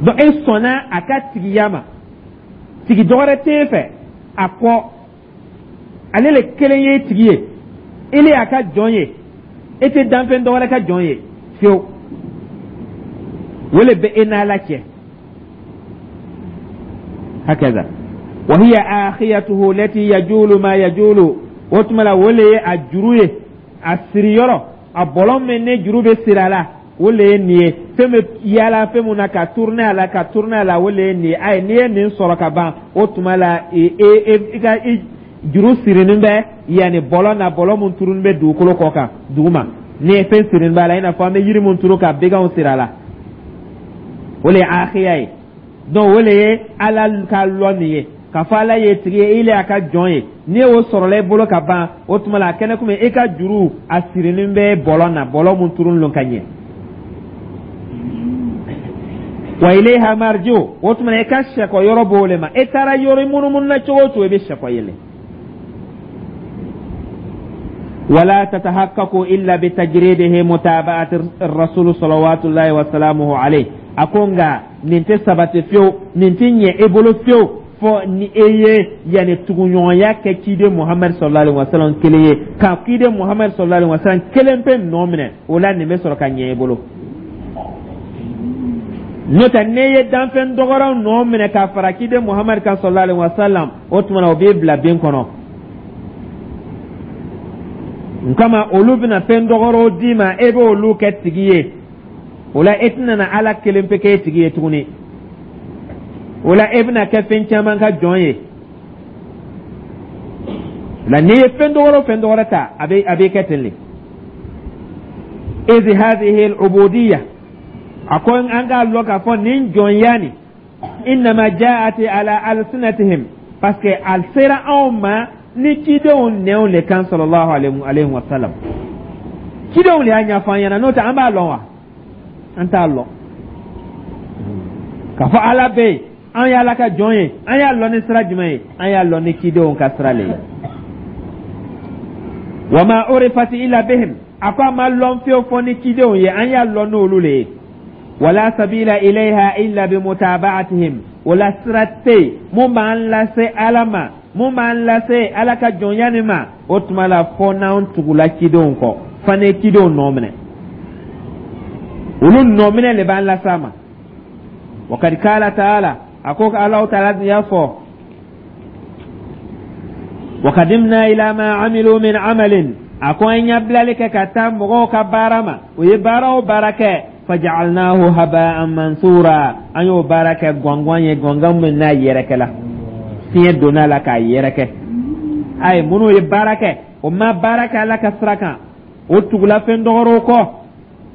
Donc e sɔnna a ka tigiya ma, tigi dɔwɛrɛ t'e fɛ a kɔ, ale le kelen ye tigi ye, e le y'a ka jɔn ye, e tɛ danfɛn dɔwɛrɛ ka jɔn ye fiyewu. O le bɛ e n'Ala cɛ. Hakaza wa hiya akhiyatuhu lati yajulu ma yajulu. O tuma la, o le ye a juru ye, a siriyɔrɔ, a bɔlɔn min ni juru bɛ siri a la, o le ye nin ye. Fɛn bɛ yaala fɛn mun na ka tourner a la, ka tourner a la, o le ye nin ye. Ayi, n'i ye nin sɔrɔ ka ban, o tuma la, e e i ka i juru sirinin bɛ yanni bɔlɔn na, bɔlɔn mun turunin bɛ dugukolo kɔ kan duguma, ni ye fɛn sirinin b'a la, i n'a fɔ an bɛ yiri mun turu ka baganw siri a la, o le ye akhiya ye. Donc o le ye Ala ka lɔn nin ye, k'a fɔ Ala ye tigi ye, i le y'a ka jɔn ye. N'i y'o sɔrɔla i bolo ka ban, o tuma la, a kɛnɛ komi i ka juru a sirinin bɛ bɔlɔn na, bɔlɔn mun turunin don ka ɲɛ. Wa ilayha marji'u. O tuma na, i ka sɛkɔ yɔrɔ b'o le ma. E taara yɔrɔ munumunu na cogo o cogo, i bɛ sɛkɔ yen le. Wala tatahaqqaqu illa bitajridihi mutaba'ati rasul salawatullahi wa salamuhu alayhi. A ko nka nin tɛ sabati fiyewu, nin tɛ ɲɛ e bolo fiyewu, fɔ ni e ye yanni tuguɲɔgɔnya kɛ ciden Muhamadu sallallahu alaihi wasallam kelen ye, ka ciden Muhamadu sallallahu alaihi wasallam kelen pe nɔ minɛ. O la, nin bɛ sɔrɔ ka ɲɛ e bolo. N'o tɛ, n'e ye danfɛn dɔgɔraw nɔ minɛ ka fara ciden Muhamadu kan sallallahu alaihi wasallam, o tuma na, o b'e bila bin kɔnɔ. Nkama olu bɛna fɛn dɔgɔrɔw d'i ma, e b'olu kɛ tigi ye. O la, e tɛna na Ala kelen pe k'e tigi ye tuguni. O la, e bɛna kɛ fɛn caman ka jɔn ye. La n'i ye fɛn dɔgɔrɔ fɛn dɔgɔrɔ ta, a bɛ kɛ ten le. Iz hadhihi al-ubudiyya, a ko an k'a lɔn k'a fɔ nin jɔnya nin, innama ja'at ala alsinatihim, parce que a sera anw ma ni cidenw nɛnw le kan, sallallahu alayhi wa sallam. Cidenw le y'a ɲɛfɔ an ɲɛna, n'o tɛ an b'a lɔn wa? An t'a lɔn k'a fɔ Ala bɛ yen, an ye Ala ka jɔn ye. An y'a lɔn ni sira jumɛn ye? An y'a lɔn ni cidenw ka sira le ye. Wa ma urifat illa bihim, a ko a ma lɔn fiyewu fɔ ni cidenw ye, an y'a lɔn n'olu le ye. Wala sabila ilayha illa bimutaba'atihim, wala sira tɛ yen mun b'an lase Ala ma, mun b'an lase Ala ka jɔnya nin ma. O tuma la, fɔ n'an tugula cidenw kɔ, fo ni cidenw nɔ minɛ, olu nɔ minɛ le b'an lase a ma. Wa kad kala taala, a ko Alahu taala y'a fɔ: wa kadimna ila ma amilu min amalin, a ko an ɲabilali kɛ ka taa mɔgɔw ka baara ma, o ye baara o baara kɛ, faja'alnahu haba'an mansura, an y'o baara kɛ gɔngɔn ye, gɔngɔn min n'a yɛrɛkɛla, fiɲɛ donna la k'a yɛrɛkɛ. Ayi, minnu ye baara kɛ, o ma baara kɛ Ala ka sira kan, o tugula fɛn dɔgɔrɔw kɔ,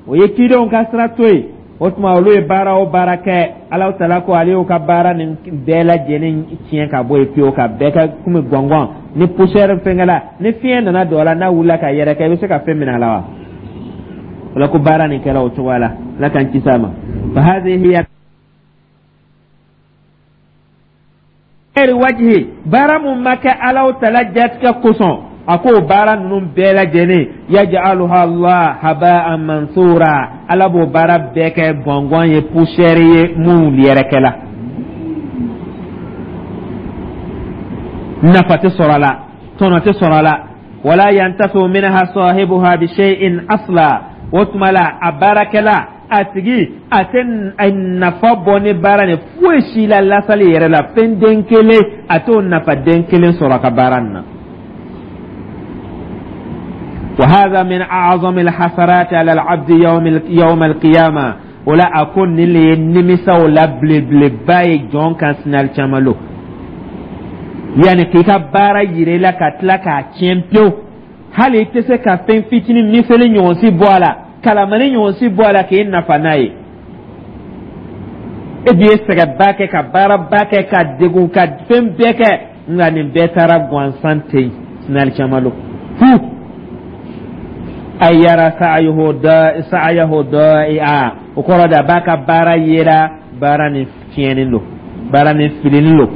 o ye cidenw ka sira to yen. O tuma, olu ye baara o baara kɛ, Alahu taala ko ale y'u ka baara nin bɛɛ lajɛlen tiɲɛ ka bɔ yen pewu, ka bɛɛ kɛ komi gɔngɔn ni poussière fɛnkɛla, ni fiɲɛ nana don a la, n'a wulila ka yɛrɛkɛ, i bɛ se ka fɛn minɛ a la wa? O la ko baara nin kɛra o cogoya la. Ala k'an kisi a ma. Fa hadhihi hiya ghairi wajhi, baara mun ma kɛ Alahu taala jatigɛ kosɔn, a k'o baara ninnu bɛɛ lajɛlen, yaj'aluha Allah haba'an mansura, Ala b'o baara bɛɛ kɛ gɔngɔn ye, poussière ye mun yɛrɛkɛla, nafa tɛ sɔrɔ a la, tɔnɔ tɛ sɔrɔ a la. Wala yantafi'u minha sahibuha bi shay'in asla, o tuma la a baarakɛla, a tigi, a tɛ nafa bɔ ni baara nin foyi si la, lasali yɛrɛ la, fɛn den kelen a t'o nafa den kelen sɔrɔ a ka baara nin na. Wa hadha min a'zami al-hasarati ala al-abdi yawm al-qiyama, o la a ko nin le ye nimisaw la belebeleba ye jɔn kan sini alikiyama lon, yanni k'i ka baara yira i la ka tila k'a tiɲɛ pewu, hali i tɛ se ka fɛn fitinin miseli ɲɔgɔn si bɔ a la, kalamani ɲɔgɔn si bɔ a la k'i nafa n'a ye. E dun ye sɛgɛnba kɛ, ka baaraba kɛ, ka degun, ka fɛn bɛɛ kɛ, nka nin bɛɛ taara gansan ten sini alikiyama lon fu. Ay yara sa'ayahu da'i'a, o kɔrɔ de a b'a ka baara yera, baara nin tiɲɛnen don, baara nin filinin don.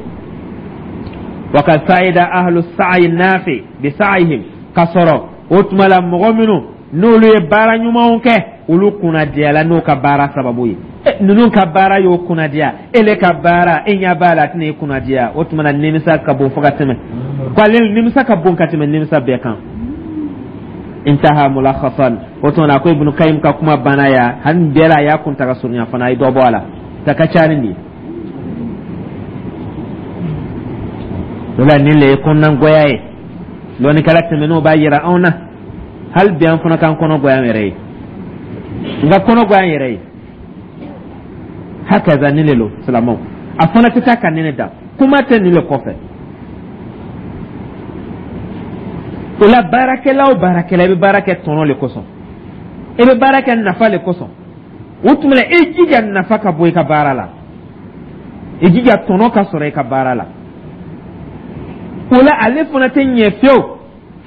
Wa kad sa'ida ahlu sa'i nafi bi sa'ihim, ka sɔrɔ o tuma la mɔgɔ minnu n'olu ye baara ɲumanw kɛ, olu kunnadiyala n'o ka baara sababu ye. Ninnu ka baara y'o kunnadiya, ele ka baara, e ɲɛ b'a la, a tɛna e kunnadiya. O tuma na nimisa ka bon fo ka tɛmɛ, ko ale nimisa ka bon ka tɛmɛ nimisa bɛɛ kan. Intaha mulakhasan. O tuma na, a ko Ibnu Kayim ka kuma banna ya. Hali bɛɛ la, a y'a kuntaga surunya fana, a ye dɔ bɔ a la, ta ka ca ni nin ye. O la nin le ye kɔnɔnagoya ye. Lɔnnikɛla tɛmɛnenw b'a yira anw na, hali bi an fana k'an kɔnɔ goya an yɛrɛ ye, n ka kɔnɔ goya an yɛrɛ ye. Hakaza nin le lo, silamɛw, a fana tɛ taa ka nin de dan, kuma tɛ nin le kɔfɛ. O la baarakɛla o baarakɛla, i bɛ baara kɛ tɔnɔ le kosɔn, i bɛ baara kɛ nafa le kosɔn. O tuma la, i jija nafa ka bɔ i ka baara la, i jija tɔnɔ ka sɔrɔ i ka baara la. O la ale fana tɛ ɲɛ fiyewu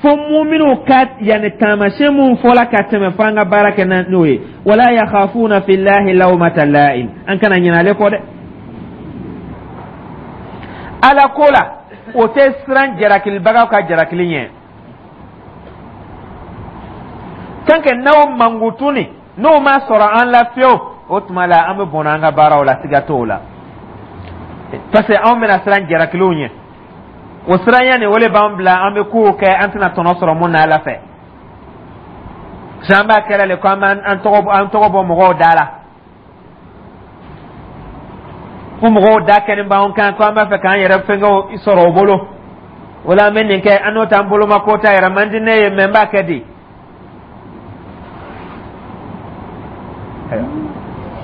fo muminuw ka yanni taamasiyɛn mun fɔla ka tɛmɛ, fo an ka baara kɛ n'o ye. Wala yakhafuna fillahi lawmata la'im, an kana ɲinɛ ale kɔ dɛ. Ala ko la, o tɛ siran jarakilibagaw ka jarakili ɲɛ. Tant que n'aw mankutu ni n'o ma sɔrɔ an la fiyewu, o tuma la an bɛ bɔnɛ an ka baaraw la, siga t'o la, parce que anw bɛna siran jarakiliw ɲɛ. O siranya nin, o le b'an bila an bɛ kow kɛ an tɛna tɔnɔ sɔrɔ mun na Ala fɛ. An b'a kɛra le ko an b'an tɔgɔ bɔ mɔgɔw da la, ko mɔgɔw da kɛlen b'an kan, ko an b'a fɛ k'an yɛrɛ fɛnkɛw sɔrɔ o bolo. O la an bɛ nin kɛ, an n'o t'an boloma ko ta yɛrɛ man di ne ye, mɛ n b'a kɛ di.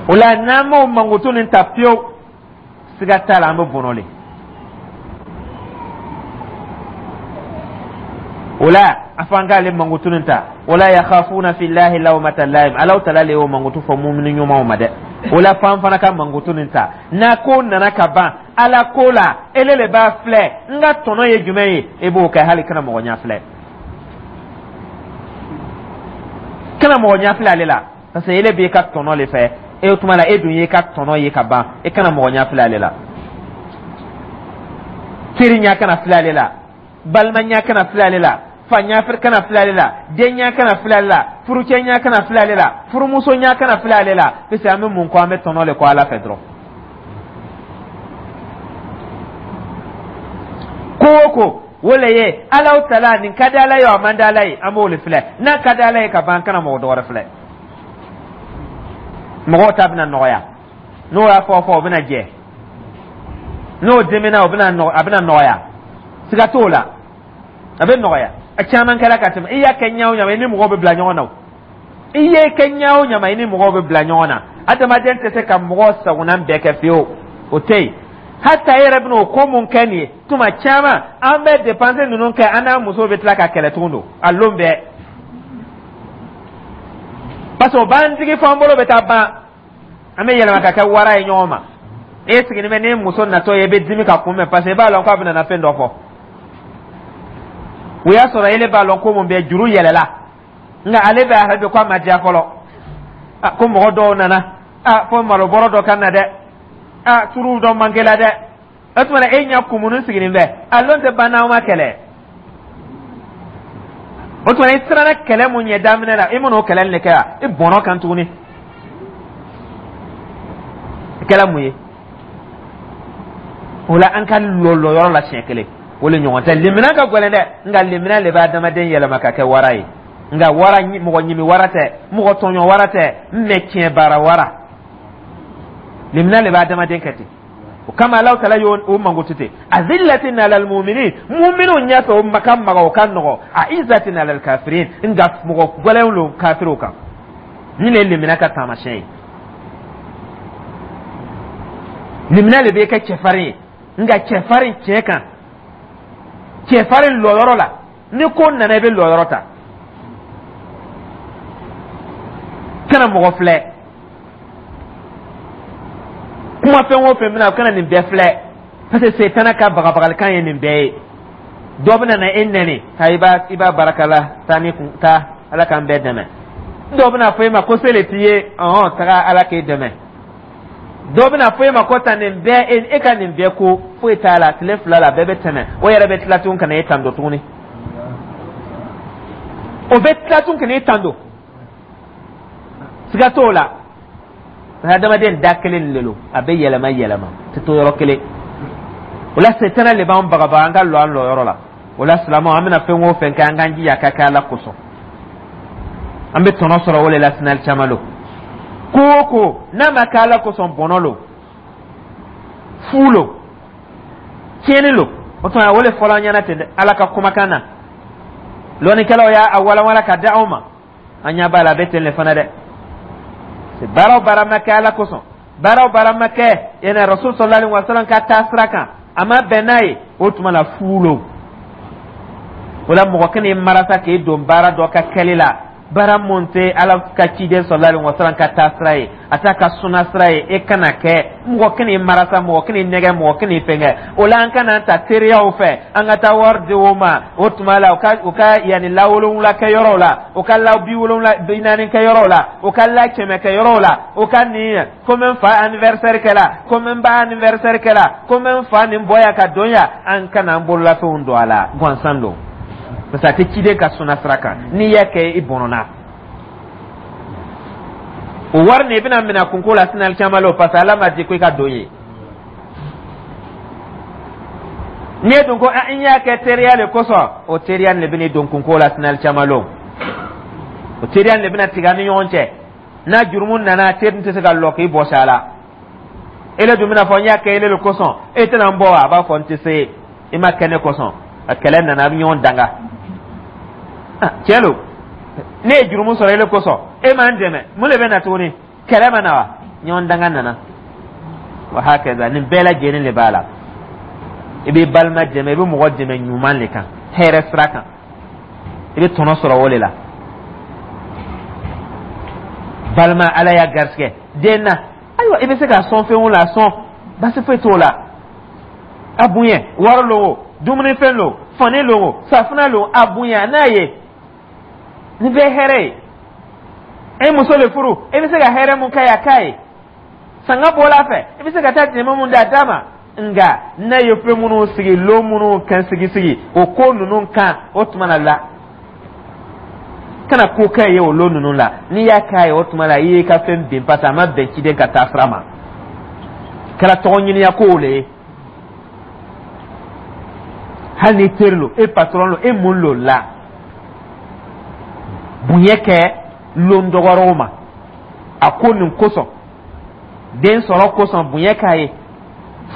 O la n'an m'o mankutu nin ta fiyewu, siga t'a la, an bɛ bɔnɔ le. O la, a fɔ an k'ale mankutu nin ta. Wala yakhafuna fillahi lawmata laim. Alaw tala le y'o mankutu fɔ mumini ɲumanw ma dɛ. O la, f'an fana ka mankutu nin ta. N'a ko nana ka ban Ala ko la, ele le b'a filɛ, n ka tɔnɔ ye jumɛn ye, e b'o kɛ, hali kana mɔgɔ ɲɛ filɛ, kana mɔgɔ ɲɛ filɛ ale la, parce que ele b'i ka tɔnɔ le fɛ. E o tuma la, e dun y'i ka tɔnɔ ye ka ban, e kana mɔgɔ ɲɛ filɛ ale la. Teri ɲɛ kana filɛ ale la, balima ɲɛ kana filɛ ale la, fa ɲɛ kana filɛ ale la, den ɲɛ kana filɛ ale la, furucɛ ɲɛ kana filɛ ale la, furumuso ɲɛ kana filɛ ale la, parce que an bɛ mun kɔ? An bɛ tɔnɔ le kɔ Ala fɛ dɔrɔn. Ko o ko, o le ye Alaw tala nin ka di Ala ye, o a man di Ala ye, an b'o le filɛ. N'a ka di Ala ye ka ban, an kana mɔgɔ dɔwɛrɛ filɛ. Mɔgɔw ta bɛna nɔgɔya. N'o y'a fɔ fɔ, o bɛna jɛ. N'o dimina, o bɛna a bɛna nɔgɔya, siga t'o la, a bɛ nɔgɔya. A caman kɛra ka tɛmɛ. I y'a kɛ ɲa o ɲa ma, i ni mɔgɔw bɛ bila ɲɔgɔn na. O i ye kɛ ɲa o ɲa ma, i ni mɔgɔw bɛ bila ɲɔgɔn na. Adamaden tɛ se ka mɔgɔ sagonan bɛɛ kɛ fiyewu, o tɛ yen. Hata e yɛrɛ bɛna o ko mun kɛ nin ye, tuma caman an bɛ dépense ninnu kɛ, an n'an musow bɛ tila ka kɛlɛ tugun don a lon bɛɛ, parce que o b'an digi fo an bolo bɛ taa ban, an bɛ yɛlɛma ka kɛ wara ye ɲɔgɔn ma. E sigilen bɛ n'e muso natɔ ye, e bɛ dimi ka kunbɛn, parce que e b'a lɔn k'a bɛna na fɛn dɔ fɔ. O y'a sɔrɔ ele b'a lɔn ko mun bɛ juru yɛlɛla, nka ale bɛ a bɛ ko a ma diya fɔlɔ, ko mɔgɔ dɔw nana, fo malobɔrɔ dɔ ka na dɛ, turu dɔ manqué la dɛ. O tuma na, e ɲɛ kumuni sigilen bɛ, a lon tɛ ban n'aw ma kɛlɛ. O tuma, i siranna kɛlɛ mun ɲɛ daminɛ la, i man'o kɛlɛ de kɛ wa, i bɔnɔ kan tuguni. I kɛla mun ye o la? An ka lɔ lɔyɔrɔ la siɲɛ kelen, o le ɲɔgɔn tɛ. Limina ka gɛlɛn dɛ, nka limina le bɛ adamaden yɛlɛma ka kɛ wara ye. Nka wara, mɔgɔ ɲimi wara tɛ, mɔgɔ tɔɲɔ wara tɛ, mɛ tiɲɛ baara wara. Limina le bɛ adamaden kɛ ten. O kama, Alahu taala y'o mankutu ten: azillatin alal muminin, muminu ɲɛfɛ, o ka maga, o ka nɔgɔ, aizatin alal kafirin, nka mɔgɔ gɛlɛnw lo kafiriw kan. Nin le ye limina ka taamasiyɛn ye. Limina le bɛ kɛ cɛfarin ye, nka cɛfarin tiɲɛ kan, cɛfarin lɔyɔrɔ la. Ni ko nana, i bɛ lɔyɔrɔ ta, kana mɔgɔ filɛ. Kuma fɛn o fɛn bɛna, kana nin bɛɛ filɛ, parce que setana ka bagabagalikan ye nin bɛɛ ye. Dɔ bɛna na e nɛni, ha, i b'a barakala taa ni kun taa, Ala k'an bɛɛ dɛmɛ. Dɔ bɛna fɔ e ma ko se le t'i ye, ɔhɔn, taga, Ala k'e dɛmɛ. Dɔ bɛna fɔ e ma ko ta nin bɛɛ, e ka nin bɛɛ ko foyi t'a la, tile 2 la bɛɛ bɛ tɛmɛ. O yɛrɛ bɛ tila tun ka na e tando tuguni, o bɛ tila tun ka na e tando, siga t'o la. Adamaden da kelen de lo, a bɛ yɛlɛma yɛlɛma, tɛ to yɔrɔ kelen. O la, setana le b'an bagabaga an ka lɔ an lɔyɔrɔ la. O la, silamɛw, an bɛna fɛn o fɛn kɛ, an k'an jija ka kɛ Ala kosɔn, an bɛ tɔnɔ sɔrɔ o le la. Sinali caman lo, ko o ko n'a ma kɛ Ala kosɔn, bɔnɔ lo, fu lo, tiɲɛni lo. O tuma, o le fɔla an ɲɛna ten dɛ, Ala ka kumakan na. Lɔnnikɛlaw y'a walanwala ka di anw ma, an ɲɛ b'a la, a bɛ ten le fana dɛ. Baara o baara ma kɛ Ala kosɔn, baara o baara ma kɛ yɛnɛ Rasul sallallahu alaihi wasallam ka taa sira kan, a ma bɛn n'a ye, o tuma la fu lo. O la, mɔgɔ kana i marasa k'i don baara dɔ ka kɛli la, baara mun tɛ Ala ka ciden sallallahu alaihi wasallam ka taa sira ye, a t'a ka suna sira ye, e kana kɛ. Mɔgɔ kana i marasa, mɔgɔ kana i nɛgɛ, mɔgɔ kana i fɛnkɛ. O la, an kana ta teriyaw fɛ, an ka taa wari di o ma. O tuma la, u ka yanni la 70 kɛ yɔrɔw la, u ka la 70, 40 kɛ yɔrɔw la, u ka la 100 kɛ yɔrɔw la, u ka nin ko n fa anniversaire kɛla, ko n ba anniversaire kɛla, ko n fa nin bɔ yan ka don yan. An kana an bololafɛnw don a la gansan don, parce que a tɛ ciden ka suna sira kan. N'i y'a kɛ, i bɔnɔna o wari nin, i bɛna minɛ kunko la sinali caman la, parce que Ala ma di ko i ka don ye. N'i ye dun ko n y'a kɛ teriya le kosɔn, o teriya le bɛn'i don kunko la sinali caman la, o teriya le bɛna tigɛ an ni ɲɔgɔn cɛ. N'a jurumu nana, teri tɛ se ka lɔ k'i bɔsi a la. Ele dun bɛna fɔ n y'a kɛ ele le kosɔn, e tɛna n bɔ wa? A b'a fɔ n tɛ se, i ma kɛ ne kosɔn. A kɛlɛ nana, a bɛ ɲɔgɔn danga. Tiɲɛ lo, ne ye jurumu sɔrɔ ele kosɔn, e m'an dɛmɛ, mun de bɛ na tuguni? Kɛlɛ ma na wa? Ɲɔgɔn danga nana. Wa hakaza, nin bɛɛ lajɛlen de b'a la. I b'i balima dɛmɛ, i bɛ mɔgɔ dɛmɛ ɲuman de kan, hɛrɛ sira kan. I bɛ tɔnɔ sɔrɔ o de la. Balima, Ala y'a garisɛgɛ den na, ayiwa, i bɛ se k'a sɔn fɛn o la, a sɔn, basi foyi t'o la. A bonya, wari lo o, dumunifɛn lo, fani lo o, safunɛ lo, a bonya n'a ye. Nin bɛɛ hɛrɛ ye. E muso le furu, e bɛ se ka hɛrɛ mun k'a ye, a k'a ye. Sanga bɔla a fɛ, i bɛ se ka taa dɛmɛ mun d'a d'a ma. Nka n'a ye fɛn minnu sigi, lon minnu kan sigi sigi o ko ninnu kan, o tuma na la, kana ko kɛ ye o lon ninnu la. N'i y'a k'a ye, o tuma la i y'i ka fɛn bin, parce que a ma bɛn ciden ka taa sira ma. Kɛra tɔgɔ ɲiniya kow le ye. Hali ni teri lo, e patron lo, e mun lo la, bonya kɛ lon dɔgɔrɔw ma. A ko nin kosɔn, den sɔrɔ kosɔn, bonya k'a ye,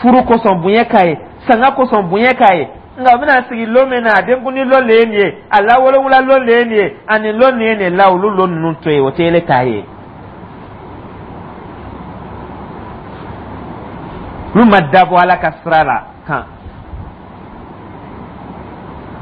furu kosɔn, bonya k'a ye, sanga kosɔn, bonya k'a ye. Nka u bɛna sigi lon min na, a denkundi lon le ye nin ye, a lawolowula lon le ye nin ye, ani lon nin ye nin la, olu lon ninnu to yen, o tɛ ele ta ye. Olu ma dabɔ Ala ka sira la kan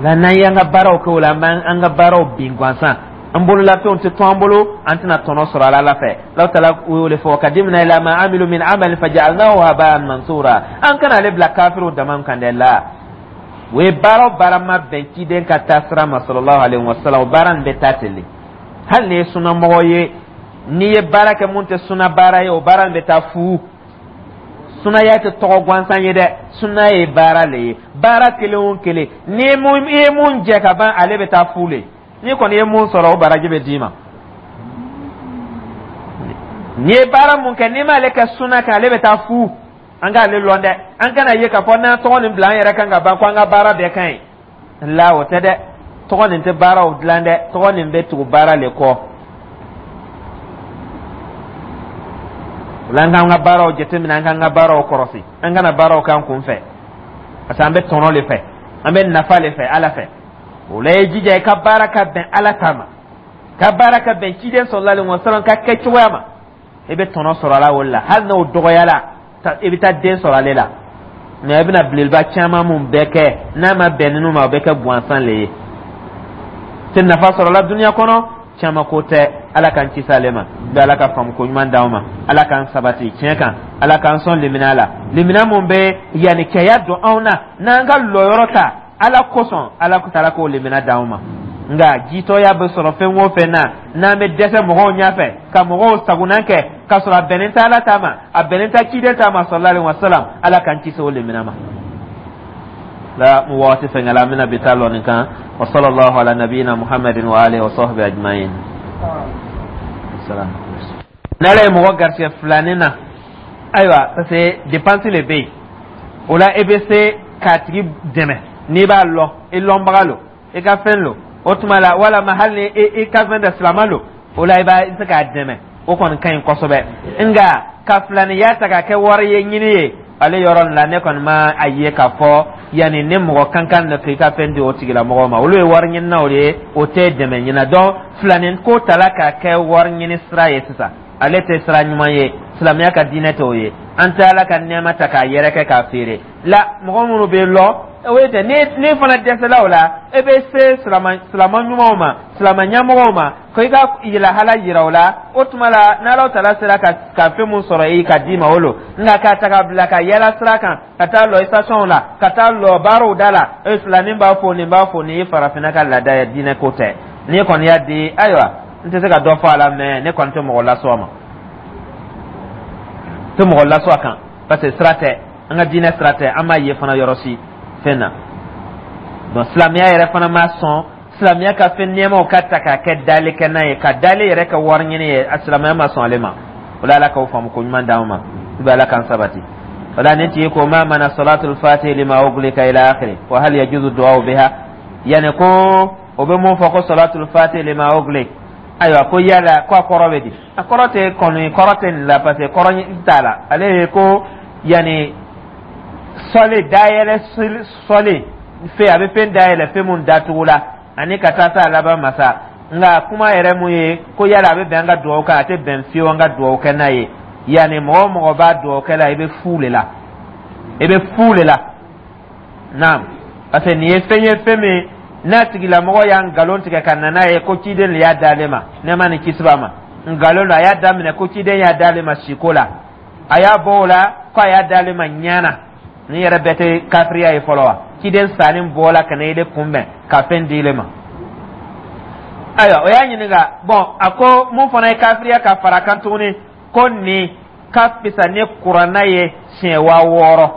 la. N'an y'an ka baaraw kɛ o la, an b'an ka baaraw bin gansan, an bololafɛnw tɛ to an bolo, an tɛna tɔnɔ sɔrɔ Ala fɛ. Alahu taala y'o de fɔ: kadimna ila ma amilu min amalin faja'alnahu haba'an mansura. An kana ale bila kafiriw dama kan dɛ. La, o ye baara o baara ma bɛn ciden ka taa sira ma, sallallahu alaihi wasallam, o baara nin bɛ taa ten de. Hali n'i ye sunamɔgɔ ye, n'i ye baara kɛ mun tɛ suna baara ye, o baara nin bɛ taa fu. Sunaya tɛ tɔgɔ gansan ye dɛ, suna ye baara le ye. Baara kelen o kelen, n'i ye mun jɛ ka ban, ale bɛ taa fu le. N'i kɔni ye mun sɔrɔ, o baraji bɛ d'i ma. N'i ye baara mun kɛ, n'i m'ale kɛ suna kan, ale bɛ taa fu. An k'ale lɔn dɛ. An kana ye k'a fɔ n'an tɔgɔ nin bila an yɛrɛ kan ka ban ko an ka baara bɛɛ ka ɲi la. O tɛ dɛ. Tɔgɔ nin tɛ baaraw dilan dɛ, tɔgɔ nin bɛ tugu baara le kɔ. O la, an k'an ka baaraw jateminɛ, an k'an ka baaraw kɔrɔsi, an kana baaraw k'an kun fɛ, parce que an bɛ tɔnɔ le fɛ, an bɛ nafa le fɛ Ala fɛ. O la, i jija i ka baara ka bɛn Ala ta ma, ka baara ka bɛn ciden sallallahu alaihi wasallam ka kɛ cogoya ma, i bɛ tɔnɔ sɔrɔ a la. O la, hali n'o dɔgɔyala, i bɛ taa den sɔrɔ ale la. Mɛ i bɛna belebeleba caman mun bɛɛ kɛ, n'a ma bɛn ninnu ma, o bɛ kɛ gansan le ye, tɛ nafa sɔrɔ la dunuya kɔnɔ. Caman ko tɛ. Ala k'an kisi ale ma bɛ. Ala ka faamu ko ɲuman d'anw ma. Ala k'an sabati tiɲɛ kan. Ala k'an sɔn limina la, limina mun bɛ yanni cɛya don anw na, n'an ka lɔyɔrɔ ta Ala kosɔn. Ala taala k'o limina d'anw ma. Nka jitɔya bɛ sɔrɔ fɛn o fɛn na, n'an bɛ dɛsɛ mɔgɔw ɲɛfɛ ka mɔgɔw sagonan kɛ k'a sɔrɔ a bɛnnen tɛ Ala ta ma, a bɛnnen tɛ ciden ta ma, sallallahu alaihi wasallam, Ala k'an kisi o limina ma. La mu waati fɛngɛ la, an bɛna bi ta lɔ nin kan. Wa sallallahu ala nabiyina Muhammadin wa alihi wa sahbihi ajma'in. N'Ala ye mɔgɔ garisɛgɛ filanin na, ayiwa, parce que dépense le bɛ yen, o la e bɛ se k'a tigi dɛmɛ n'i b'a lɔn, i lɔnbaga lo, i ka fɛn lo, o tuma la, walama hali ni i ka fɛn tɛ, silama lo, o la i b'a i se k'a dɛmɛ. O kɔni ka ɲi kosɛbɛ. Nka ka filaniya ta ka kɛ wari ye ɲini ye, ale yɔrɔ nin la, ne kɔni ma a ye k'a fɔ yanni ni mɔgɔ kan kan na k'i ka fɛn di o tigilamɔgɔ ma. Olu ye wari ɲininaw de ye, o tɛ dɛmɛ ɲina. Donc filanin ko tala k'a kɛ wari ɲini sira ye sisan, ale tɛ sira ɲuman ye. Silamɛya ka diinɛ t'o ye. An tɛ Ala ka nɛɛma ta k'a yɛrɛkɛ k'a feere la. Mɔgɔ minnu bɛ lɔ, o ye tɛ. Ni fana dɛsɛla o la, e bɛ se silama ɲumanw ma, silama ɲɛmɔgɔw ma, ko i ka lahala yira o la. O tuma la, n'Ala taala sera ka fɛn mun sɔrɔ i ka d'i ma, o lo. Nka k'a ta ka bila ka yala sira kan, ka taa lɔ station la, ka taa lɔ baaraw da la, e filanin b'a fɔ, nin b'a fɔ, nin ye farafinna ka laada ye, diinɛ ko tɛ. N'i kɔni y'a di, ayiwa, n tɛ se ka dɔ fɔ a la, mɛ ne kɔni tɛ mɔgɔ lasɔ a ma, tɛ mɔgɔ lasɔ a kan, parce que sira tɛ, an ka diinɛ sira tɛ. An m'a ye fana yɔrɔ si fɛn na. Donc silamɛya yɛrɛ fana ma sɔn silamɛya ka fɛn nɛɛmaw ka ta k'a kɛ dali kɛ n'a ye, ka dali yɛrɛ kɛ wari ɲini ye. A silamɛya ma sɔn ale ma. O la, Ala k'aw faamu ko ɲuman d'anw ma, i bɛ Ala k'an sabati. O la, nin tigi ko: ma mana salatul fatih lima uglika ila akhiri wa hal yajuzu du'a biha? Yani ko o bɛ mun fɔ ko salatul fatih lima uglik, ayiwa, ko yala ko a kɔrɔ bɛ di? A kɔrɔ tɛ kɔni, kɔrɔ tɛ nin la, parce que kɔrɔ t'a la. Ale ye ko yanni sɔli dayɛlɛ, sɔli fɛn, a bɛ fɛn dayɛlɛ, fɛn mun datugu la, ani ka taa se a laban ma sa. Nka kuma yɛrɛ mun ye ko yala a bɛ bɛn an ka dugawu kɛ, a tɛ bɛn fiyewu an ka dugawu kɛ n'a ye. Yanni mɔgɔ o mɔgɔ b'a dugawu kɛ la, i bɛ fu le la, i bɛ fu le la. Naam, parce que nin ye fɛn ye, fɛn min N'a tigilamɔgɔ y'a nkalon tigɛ ka na n'a ye ko ciden le y'a d'ale ma, nɛɛma ni kisi b'a ma, nkalon don. A y'a daminɛ ko ciden y'a d'ale ma siko la, a y'a bɔ o la ko a y'a d'ale ma ɲana. Nin yɛrɛ bɛɛ tɛ kafiriya ye fɔlɔ wa? Ciden salen bɔla ka na ile kunbɛn ka fɛn di ile ma. Ayiwa, o y'a ɲininka. Bɔn, a ko mun fana ye kafiriya ka fara kan tuguni, ko nin ka fisa ni Kuranna ye siɲɛ 6000.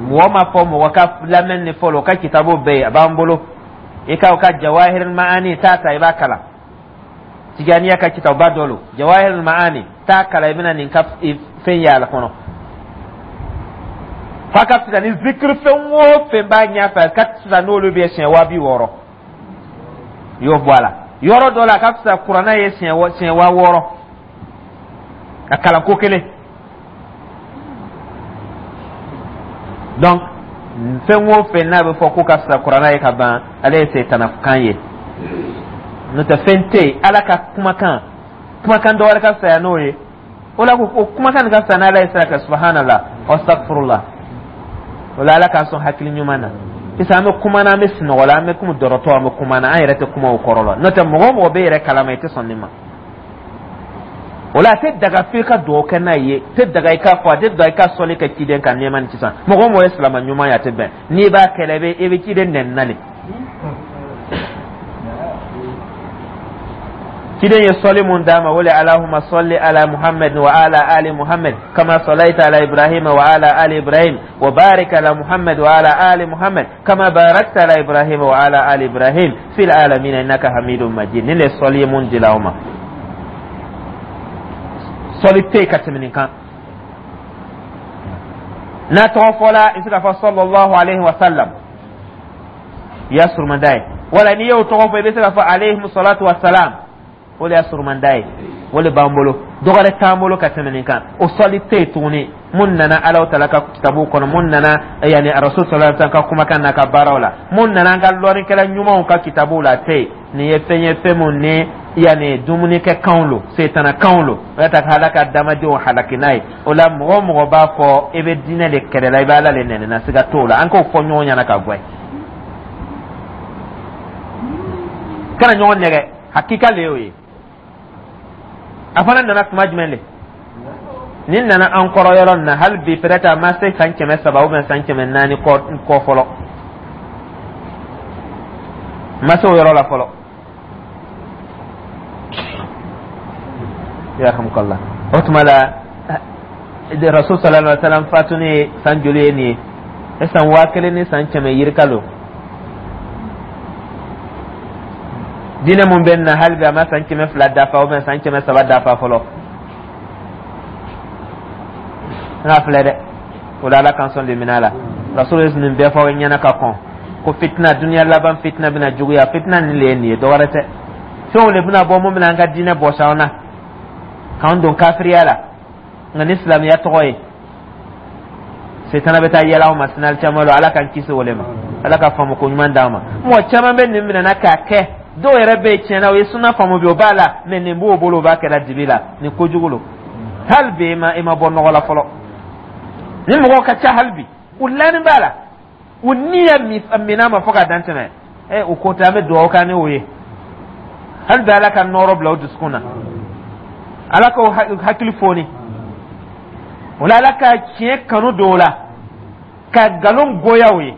Mɔgɔ ma fɔ mɔgɔ ka lamɛn ni fɔlɔ, o ka kitabu bɛɛ yen, a b'an bolo. I ka o ka Jawahir Ma'ani t'a ta, i b'a kalan. Tijaniya ka kitabuba dɔ lo, Jawahir Ma'ani, t'a kalan, i bɛna nin ka fɛn ye a la kɔnɔ, f'a ka fisa ni zikiri fɛn o fɛn b'a ɲɛfɛ, a ka fisa n'olu bɛ siɲɛ 60 000. I y'o bɔ a la yɔrɔ dɔ la, a ka fisa Kuranna ye siɲɛ 6000 a kalanko kelen. Donc fɛn o fɛn n'a bɛ fɔ ko ka fisa Kuranna ye ka ban, ale ye setana kan ye. N'o tɛ, fɛn tɛ yen Ala ka kumakan, kumakan dɔ wɛrɛ ka fisaya n'o ye. O la ko kumakan nin ka fisa n'Ala ye sira kɛ. Subhanallah, astaghfirullah. O la, Ala k'an sɔn hakili ɲuman na. Sisan an bɛ kuma na, an bɛ sunɔgɔ la, an bɛ komi dɔrɔtɔ, an bɛ kuma na, an yɛrɛ tɛ kuma o kɔrɔ la. N'o tɛ, mɔgɔ o mɔgɔ bɛ yɛrɛ kalama, i tɛ sɔn nin ma. O la, a tɛ daga f'i ka dugawu kɛ n'a ye, tɛ daga i k'a fɔ, a tɛ daga i ka sɔli kɛ ciden kan, nɛɛma ni sisan. Mɔgɔ o mɔgɔ ye silama ɲuman ye, a tɛ bɛn n'i b'a kɛlɛ, i bɛ ciden nɛni na le. Ciden ye sɔli mun d'a ma, o le: Alahuma sɔli ala Muhammad wa ala ali Muhammad kama sɔlaita ala Ibrahima wa ala ali Ibrahim wa barik ala Muhammad wa ala ali Muhammad kama barakta ala Ibrahima wa ala ali Ibrahim fil alamina innaka hamidun majid. Nin le sɔli ye mun dila o ma, sɔli tɛ yen ka tɛmɛ nin kan. N'a tɔgɔ fɔla, i bɛ se k'a fɔ sallallahu alayhi wa sallam, i y'a surumanda ye. Wala n'i y'o tɔgɔ fɔ, i bɛ se k'a fɔ alayhi salatu wa salam, o de y'a surumanda ye. O de b'an bolo, dɔwɛrɛ t'an bolo ka tɛmɛ nin kan. O sɔli tɛ yen tuguni mun nana Alahu taala ka kitabu kɔnɔ, mun nana yanni Rasul sallallahu alaihi wasallam ka kumakan n'a ka baaraw la, mun nana an ka lɔnnikɛla ɲumanw ka kitabuw la, a tɛ yen. Nin ye fɛn ye, fɛn mun ni yanni dumunikɛ kanw lo, setana kanw lo, o y'a ta ka Ala ka adamadenw halaki n'a ye. O la, mɔgɔ o mɔgɔ b'a fɔ i bɛ diinɛ de kɛlɛ la, i bɛ Ala de nɛni na, siga t'o la. An k'o fɔ ɲɔgɔn ɲɛna ka gwɛ, kana ɲɔgɔn nɛgɛ, hakika le y'o ye. A fana nana tuma jumɛn de? Nin nana an kɔrɔ yɔrɔ nin na hali bi, peut-être a ma se san 300 ou bien san 400 kɔ fɔlɔ, ma se o yɔrɔ la fɔlɔ. Yarhamukallah. O tuma la, Rasul sallallahu alaihi wasallam fatuni ye san joli ye nin ye? E san 1000 ni san kɛmɛ yirika lo. Diinɛ mun bɛ na hali bi, a ma san 200 dafa ou bien san 300 dafa fɔlɔ. N k'a filɛ dɛ. O la, Ala k'an sɔn limaniya la. Rasul ye nin bɛɛ fɔ ɲɛna ka kɔn ko fitina, duniya laban fitina bɛna juguya. Fitina nin le ye nin ye, dɔwɛrɛ tɛ. Fɛnw de bɛna bɔ mun bɛna an ka diinɛ bɔsi an na, k'an don kafiriya la, nka ni silamɛya tɔgɔ ye. Setana bɛ taa yɛlɛ aw ma sinali caman la. Ala k'an kisi o le ma. Ala ka faamu ko ɲuman d'an ma. Mɔgɔ caman bɛ nin minɛna k'a kɛ. Dɔw yɛrɛ bɛ yen, tiɲɛna, o ye suna faamu bi, o b'a la, mɛ nin b'o bolo, o b'a kɛra dibi la. Nin kojugu lo. Hali bi i ma bɔ nɔgɔ la fɔlɔ. Ni mɔgɔw ka ca hali bi, u lani b'a la, u ni ya min'a ma fo ka dan tɛmɛ. Ɛ, o ko tɛ, an bɛ dugawu kɛ ni o ye. Hali bi, Ala ka nɔɔrɔ bila o dusukun na, Ala k'o hakili foni o la, Ala ka tiɲɛ kanu don o la, ka nkalon goya o ye,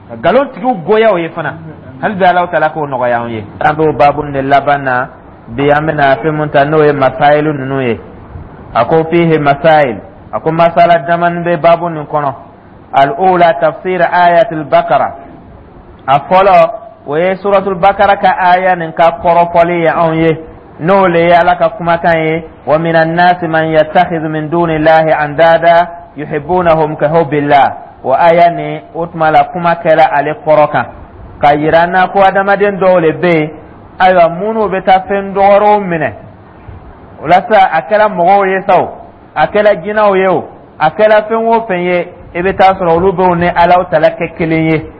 ka nkalon tigiw goya o ye fana. Hali bi, Ala taala k'o nɔgɔya an ye. An b'o baabu de laban na bi. An bɛna fɛn mun ta, n'o ye masayilu ninnu ye. A ko fihi masayil, a ko masala damani bɛ baabu nin kɔnɔ. Al-ula tafsir ayatul bakara. A fɔlɔ, o ye suratul bakara ka aya nin ka kɔrɔfɔli ye anw ye, n'o le ye Ala ka kumakan ye: wa minan nasi man yattakhidhu min dunillahi andada yuhibbunahum ka hubbillah. O aya nin, o tuma la, kuma kɛra ale kɔrɔ kan ka yira an na ko adamaden dɔw le bɛ yen, ayiwa, minnu bɛ taa fɛn dɔgɔrɔw minɛ. O la sa, a kɛra mɔgɔw ye sa o, a kɛra jinɛw ye o, a kɛra fɛn o fɛn ye, i bɛ taa sɔrɔ olu b'o ni Alaw tala kɛ kelen ye.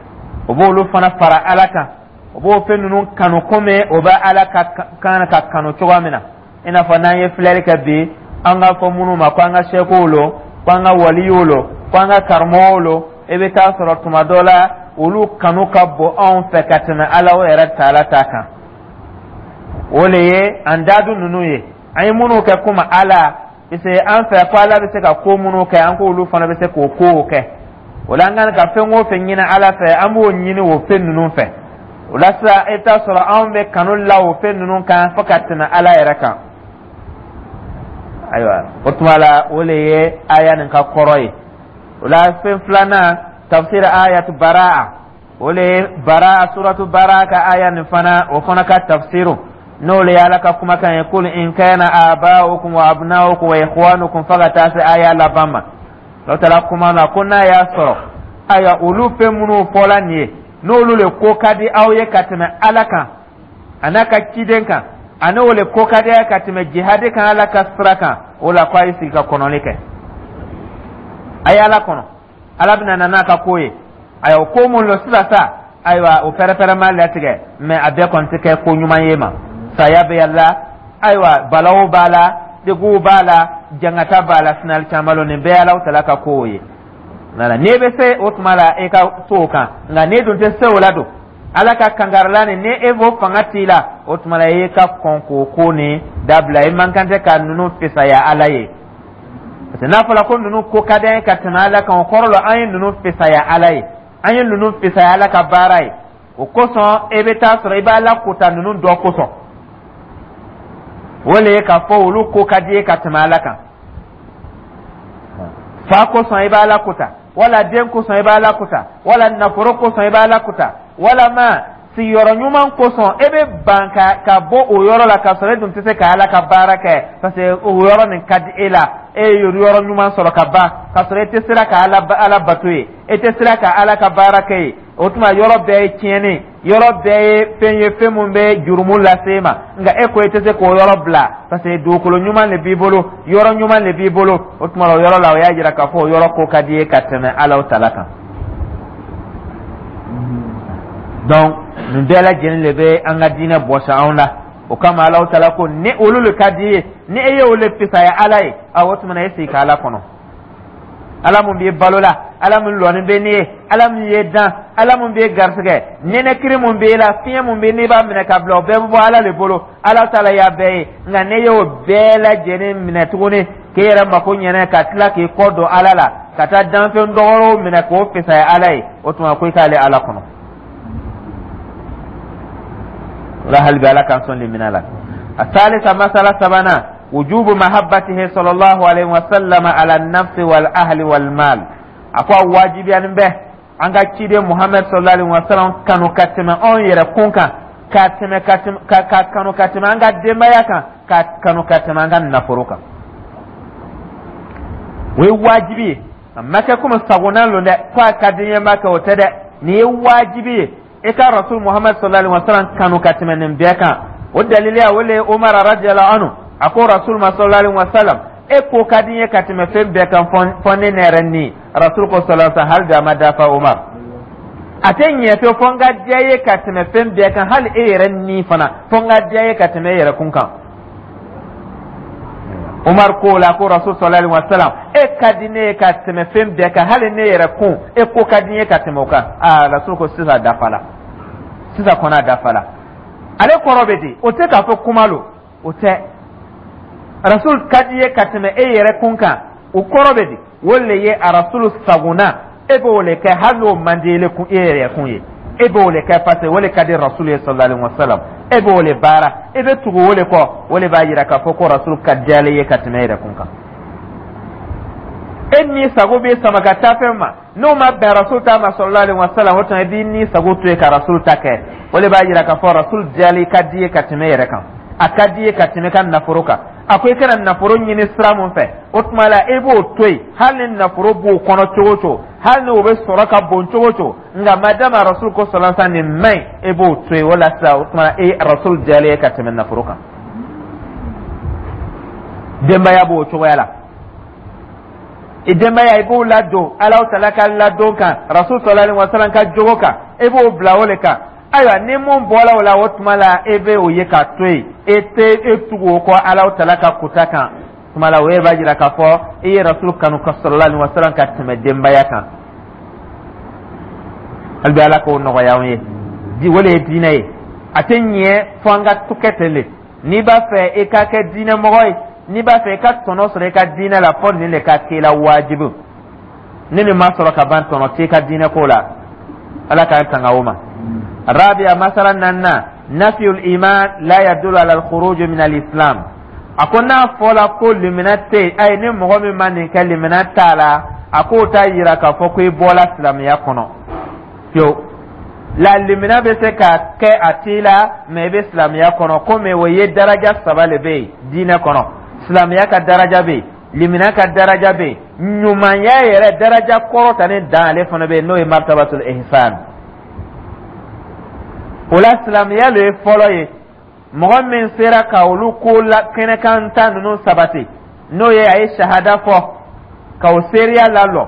O b'olu fana fara Ala kan, o b'o fɛn ninnu kanu komi o bɛ Ala ka kan ka kanu cogoya min na. I n'a fɔ n'an ye filɛli kɛ bi, an k'a fɔ minnu ma ko an ka sɛkuw lo, ko an ka waliyiw lo, ko an ka karamɔgɔw lo, i bɛ taa sɔrɔ tuma dɔ la Olu kanu ka bon anw fɛ ka tɛmɛ Ala yɛrɛ taala ta kan. O le ye andadu ninnu ye, an ye minnu kɛ komi Ala, parce que an fɛ ko Ala bɛ se ka ko minnu kɛ, an k'olu fana bɛ se k'o kow kɛ. O la, an kan ka fɛn o fɛn ɲini Ala fɛ, an b'o ɲini o fɛn ninnu fɛ. O la sisan, i bɛ taa sɔrɔ anw bɛ kanu la o fɛn ninnu kan fo ka tɛmɛ Ala yɛrɛ kan. Ayiwa, o tuma la, o le ye aya nin ka kɔrɔ ye. O la, fɛn filanan, tafsir ayatu Baraa, o le ye Baraa, suratu Baraa ka aya nin fana, o fana ka tafsiru, n'o le ye Ala ka kumakan ye: "Kul in kana aba'ukum wa abna'ukum wa ikhwanukum", fo ka taa se aya laban ma. N'o taara kuma na ko n'a y'a sɔrɔ, ayiwa, olu fɛn minnu fɔla nin ye, n'olu le ko ka di aw ye ka tɛmɛ Ala kan a n'a ka ciden kan, ani o le ko ka di a ye ka tɛmɛ jihadi kan Ala ka sira kan, o la ko a ye sigi ka kɔnɔli kɛ, a ye Ala kɔnɔ, Ala bɛna na n'a ka ko ye. Ayiwa, o ko mun lo sisan sa? Ayiwa, o pɛrɛpɛrɛ ma latigɛ, mɛ a bɛɛ kɔni tɛ kɛ ko ɲuman ye ma. Saya bɛ la, ayiwa, balaw b'a la, deguw b'a la, jangata b'a la, sinali caman lo. Nin bɛɛ ye Alahu tala ka kow ye. Wala n'e bɛ se o tuma la, e ka to o kan. Nka n'e dun tɛ se o la don, Ala ka kankarila nin, ni e b'o fanga t'i la, o tuma la, e ka kɔn k'o ko nin dabila. I man kan tɛ ka ninnu fisaya Ala ye, parce que n'a fɔra ko ninnu ko ka d'an ye ka tɛmɛ Ala kan, o kɔrɔ la an ye ninnu fisaya Ala ye, an ye ninnu fisaya Ala ka baara ye. O kosɔn, e bɛ taa sɔrɔ i b'Ala kota ninnu dɔ kosɔn. O le ye k'a fɔ olu ko ka di ye ka tɛmɛ Ala kan. Fa kosɔn i b'Ala kota, wala den kosɔn i b'Ala kota, wala nafolo kosɔn i b'Ala kota, walama sigiyɔrɔ ɲuman kosɔn e bɛ ban ka bɔ o yɔrɔ la, k'a sɔrɔ e dun tɛ se ka Ala ka baara kɛ, parce que o yɔrɔ nin ka di e la. E ye yɔrɔ ɲuman sɔrɔ ka ban, k'a sɔrɔ e tɛ sera ka Ala bato ye, e tɛ sera ka Ala ka baara kɛ ye. O tuma, yɔrɔ bɛɛ ye tiɲɛni, yɔrɔ bɛɛ ye fɛn ye, fɛn mun bɛ jurumu lase e ma. Nka e ko e tɛ se k'o yɔrɔ bila, parce que dugukolo ɲuman de b'i bolo, yɔrɔ ɲuman de b'i bolo. O tuma, o yɔrɔ la, o y'a jira k'a fɔ o yɔrɔ ko ka di ye ka tɛmɛ Ala tala kan. Donc nin bɛɛ lajɛlen de bɛ an ka diinɛ bɔsi anw la. O kama, Alahu tala ko ni olu le ka di ye, ni e ye olu le fisaya Ala ye, a o tuma na, e sigi ka Ala kɔnɔ. Ala mun b'i balo la, Ala mun lɔni bɛ n'i ye, Ala mun ye dan, Ala mun b'i garisɛgɛ, nɛnɛkiri mun b'i la, fiɲɛ mun bɛ n'i b'a minɛ ka bila, o bɛɛ bɛ bɔ Ala le bolo. Ala tala y'a bɛɛ ye. Nka n'e y'o bɛɛ lajɛlen minɛ tuguni k'e yɛrɛ mako ɲɛnɛ, ka tila k'i kɔ don Ala la, ka taa danfɛn dɔgɔrɔw minɛ k'o fisaya Ala ye, o tuma ko i k'ale Ala kɔnɔ. O la, hali bi Ala k'an sɔn limina la. الثالثة, masala sabanan, wujubu mahabbatihi sallallahu alaihi wasallam ala nafsi wal ahli wal mal. A ko a wajibiyanin bɛ an ka ciden Muhammed sallallahu alaihi wasallam kanu ka tɛmɛ anw yɛrɛ kun kan, ka tɛmɛ ka tɛmɛ ka kanu ka tɛmɛ an ka denbaya kan, ka kanu ka tɛmɛ an ka nafolo kan. O ye wajibi ye. A ma kɛ komi sagona lon dɛ, ko a ka di n ye, n b'a kɛ, o tɛ dɛ. Nin ye wajibi ye, i ka Rasul Muhammad sallallahu alaihi wasallam kanu ka tɛmɛ nin bɛɛ kan. O daliliya, o le ye Umar radiyallahu anhu, a ko Rasul ma sallallahu alaihi wasallam: "E ko ka di n ye ka tɛmɛ fɛn bɛɛ kan, fɔ ne yɛrɛ ni." Rasul ko sallallahu alaihi wasallam: "Hali bi a ma dafa, Umar, a tɛ ɲɛ fewu fɔ n ka diya ye ka tɛmɛ fɛn bɛɛ kan, hali e yɛrɛ ni fana, fɔ n ka diya ye ka tɛmɛ e yɛrɛ kun kan." Umar ko la ko: "Rasul sallallahu alaihi wasallam, e ka di ne ye ka tɛmɛ fɛn bɛɛ kan, hali ne yɛrɛ kun, e ko ka di n ye ka tɛmɛ o kan." Aa, Rasul ko: "Sisan dafala, sisan kɔni a dafala." Ale kɔrɔ bɛ di? O tɛ k'a fɔ kuma lo, o tɛ. Rasul ka di ye ka tɛmɛ e yɛrɛ kun kan, o kɔrɔ bɛ di? O le ye a Rasulu sagona, e b'o le kɛ hali n'o man di e yɛrɛ kun ye. E b'o le kɛ parce que o le ka di Rasul ye sallallahu alaihi wasallam. E b'o le baara, e bɛ tugu o le kɔ. O le b'a yira k'a fɔ ko Rasul ka di ale ye ka tɛmɛ e yɛrɛ kun kan. E ni sago bɛ sama ka taa fɛn ma, n'o ma bɛn Rasul ta ma sallallahu alaihi wasallam, o tuma i b'i ni sago to yen ka Rasul ta kɛ. O le b'a yira k'a fɔ Rasul diyali ka di ye ka tɛmɛ e yɛrɛ kan, a ka di ye ka tɛmɛ ka nafolo kan. A ko i kana nafolo ɲini sira mun fɛ, o tuma la e b'o to yen, hali ni nafolo b'o kɔnɔ cogo o cogo, hali ni o bɛ sɔrɔ ka bon cogo o cogo. Nka madama Rasul ko sallallahu alaihi wasallam nin man ɲi, e b'o to yen. O la sisan, o tuma e Rasul diyalen ye ka tɛmɛ nafolo kan. Denbaya b'o cogoya la. I denbaya, i b'o ladon Alahu tala ka ladon kan, Rasul sallallahu alaihi wasallam ka jogo kan, e b'o bila o de kan. Ayiwa, ni mun bɔra o la, o tuma la e bɛ o ye k'a to yen, e tɛ e tugu o kɔ Alahu tala ka kuta kan. Tuma la, o yɛrɛ b'a jira k'a fɔ i ye Rasul kanu ka sallallahu alaihi wasallam ka tɛmɛ denbaya kan. Hali bi Ala k'o nɔgɔya anw ye. Di o le ye diinɛ ye, a tɛ ɲɛ fo an ka to kɛ ten de. N'i b'a fɛ i ka kɛ diinɛ mɔgɔ ye, n'i b'a fɛ i ka tɔnɔ sɔrɔ i ka diinɛ la, fɔ nin de ka k'i la wajibi. Ni nin ma sɔrɔ ka ban, tɔnɔ t'i ka diinɛ ko la. Ala k'an tanga o ma. Rabia, masala naaninan: nafiyul iman la yadullu ala al-khuruj min al-islam. A ko n'a fɔla ko limina tɛ yen, ayi, ni mɔgɔ min ma nin kɛ, limina t'a la, a k'o t'a yira k'a fɔ ko i bɔla silamɛya kɔnɔ fiyewu. La limina bɛ se ka kɛ a t'i la, mɛ i bɛ silamɛya kɔnɔ. Komi o ye daraja saba le bɛ yen diinɛ kɔnɔ: silamɛya ka daraja bɛ yen, limina ka daraja bɛ yen, ɲumanya yɛrɛ daraja kɔrɔtanin dan ale fana bɛ yen, n'o ye martabatul ihsan. O la, silamɛya le ye fɔlɔ ye. Mɔgɔ min sera ka olu ko la kɛnɛkan ta ninnu sabati, n'o ye a ye sahada fɔ ka o seereya lalɔ,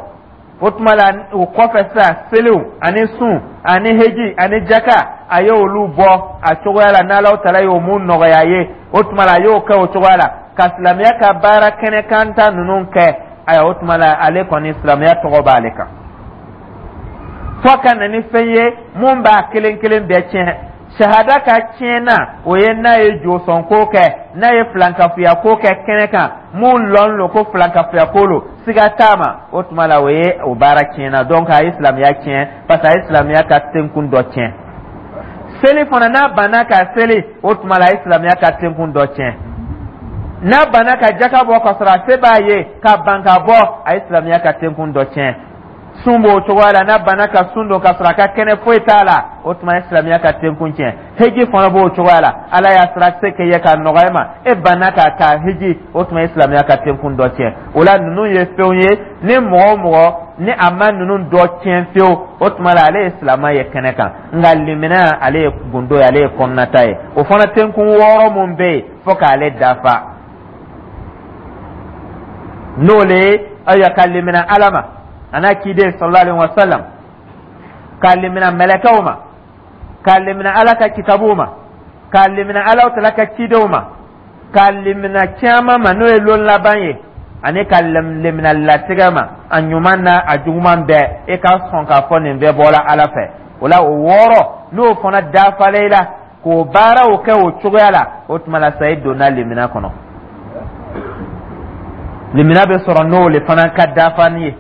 o tuma la o kɔfɛ sisan, seliw ani sun ani heji ani jaka, a ye olu bɔ a cogoya la n'Alahu tala y'o mun nɔgɔya a ye, o tuma la a y'o kɛ o cogoya la ka silamɛya ka baara kɛnɛkan ta ninnu kɛ. Ayiwa, o tuma la ale kɔni, silamɛya tɔgɔ b'ale kan, fo ka na ni fɛn ye mun b'a kelen kelen bɛɛ tiɲɛ. Sahada ka tiɲɛ na, o ye n'a ye josɔnko kɛ, n'a ye filankafoya ko kɛ kɛnɛ kan, mun lɔn lo ko filankafoya ko lo, siga t'a ma, o tuma la o ye o baara tiɲɛna. Donc a ye silamɛya tiɲɛ, parce que a ye silamɛya ka tenkun dɔ tiɲɛ. Seli fana, n'a banna ka seli, o tuma la a ye silamɛya ka tenkun dɔ tiɲɛ. N'a banna ka jaka bɔ ka sɔrɔ a se b'a ye, ka ban ka bɔ, a ye silamɛya ka tenkun dɔ tiɲɛ. Sun b'o cogoya la, n'a banna ka sun don ka sɔrɔ a ka kɛnɛ, foyi t'a la, o tuma ye silamɛya ka tenkun tiɲɛ. Heji fana b'o cogoya la. Ala y'a sira se kɛ ye ka nɔgɔya ma, e banna ka ka heji, o tuma ye silamɛya ka tenkun dɔ tiɲɛ. O la, ninnu ye fɛnw ye, ni mɔgɔ o mɔgɔ ni a ma ninnu dɔ tiɲɛ fiyewu, o tuma la ale ye silamɛ ye kɛnɛ kan. Nka limina, ale ye gundo ye, ale ye kɔnɔnata ye. O fana tenkun wɔɔrɔ mun bɛ yen, fo k'ale dafa, n'o le ye ayiwa ka limina Ala ma a n'a ciden sallallahu alaihi wa sallam, k'a limina mɛlɛkɛw ma, k'a limina Ala ka kitabuw ma, k'a limina Ala tala ka cidenw ma, k'a limina caman ma, n'o ye lon laban ye, ani ka limina latigɛ ma, a ɲuman n'a a juguman bɛɛ, e ka sɔn k'a fɔ nin bɛɛ bɔra Ala fɛ. O la, o wɔɔrɔ, n'o fana dafalen i la k'o baaraw kɛ o cogoya la, o tuma la sa i donna limina kɔnɔ. Limina bɛ sɔrɔ n'o le fana ka dafani ye,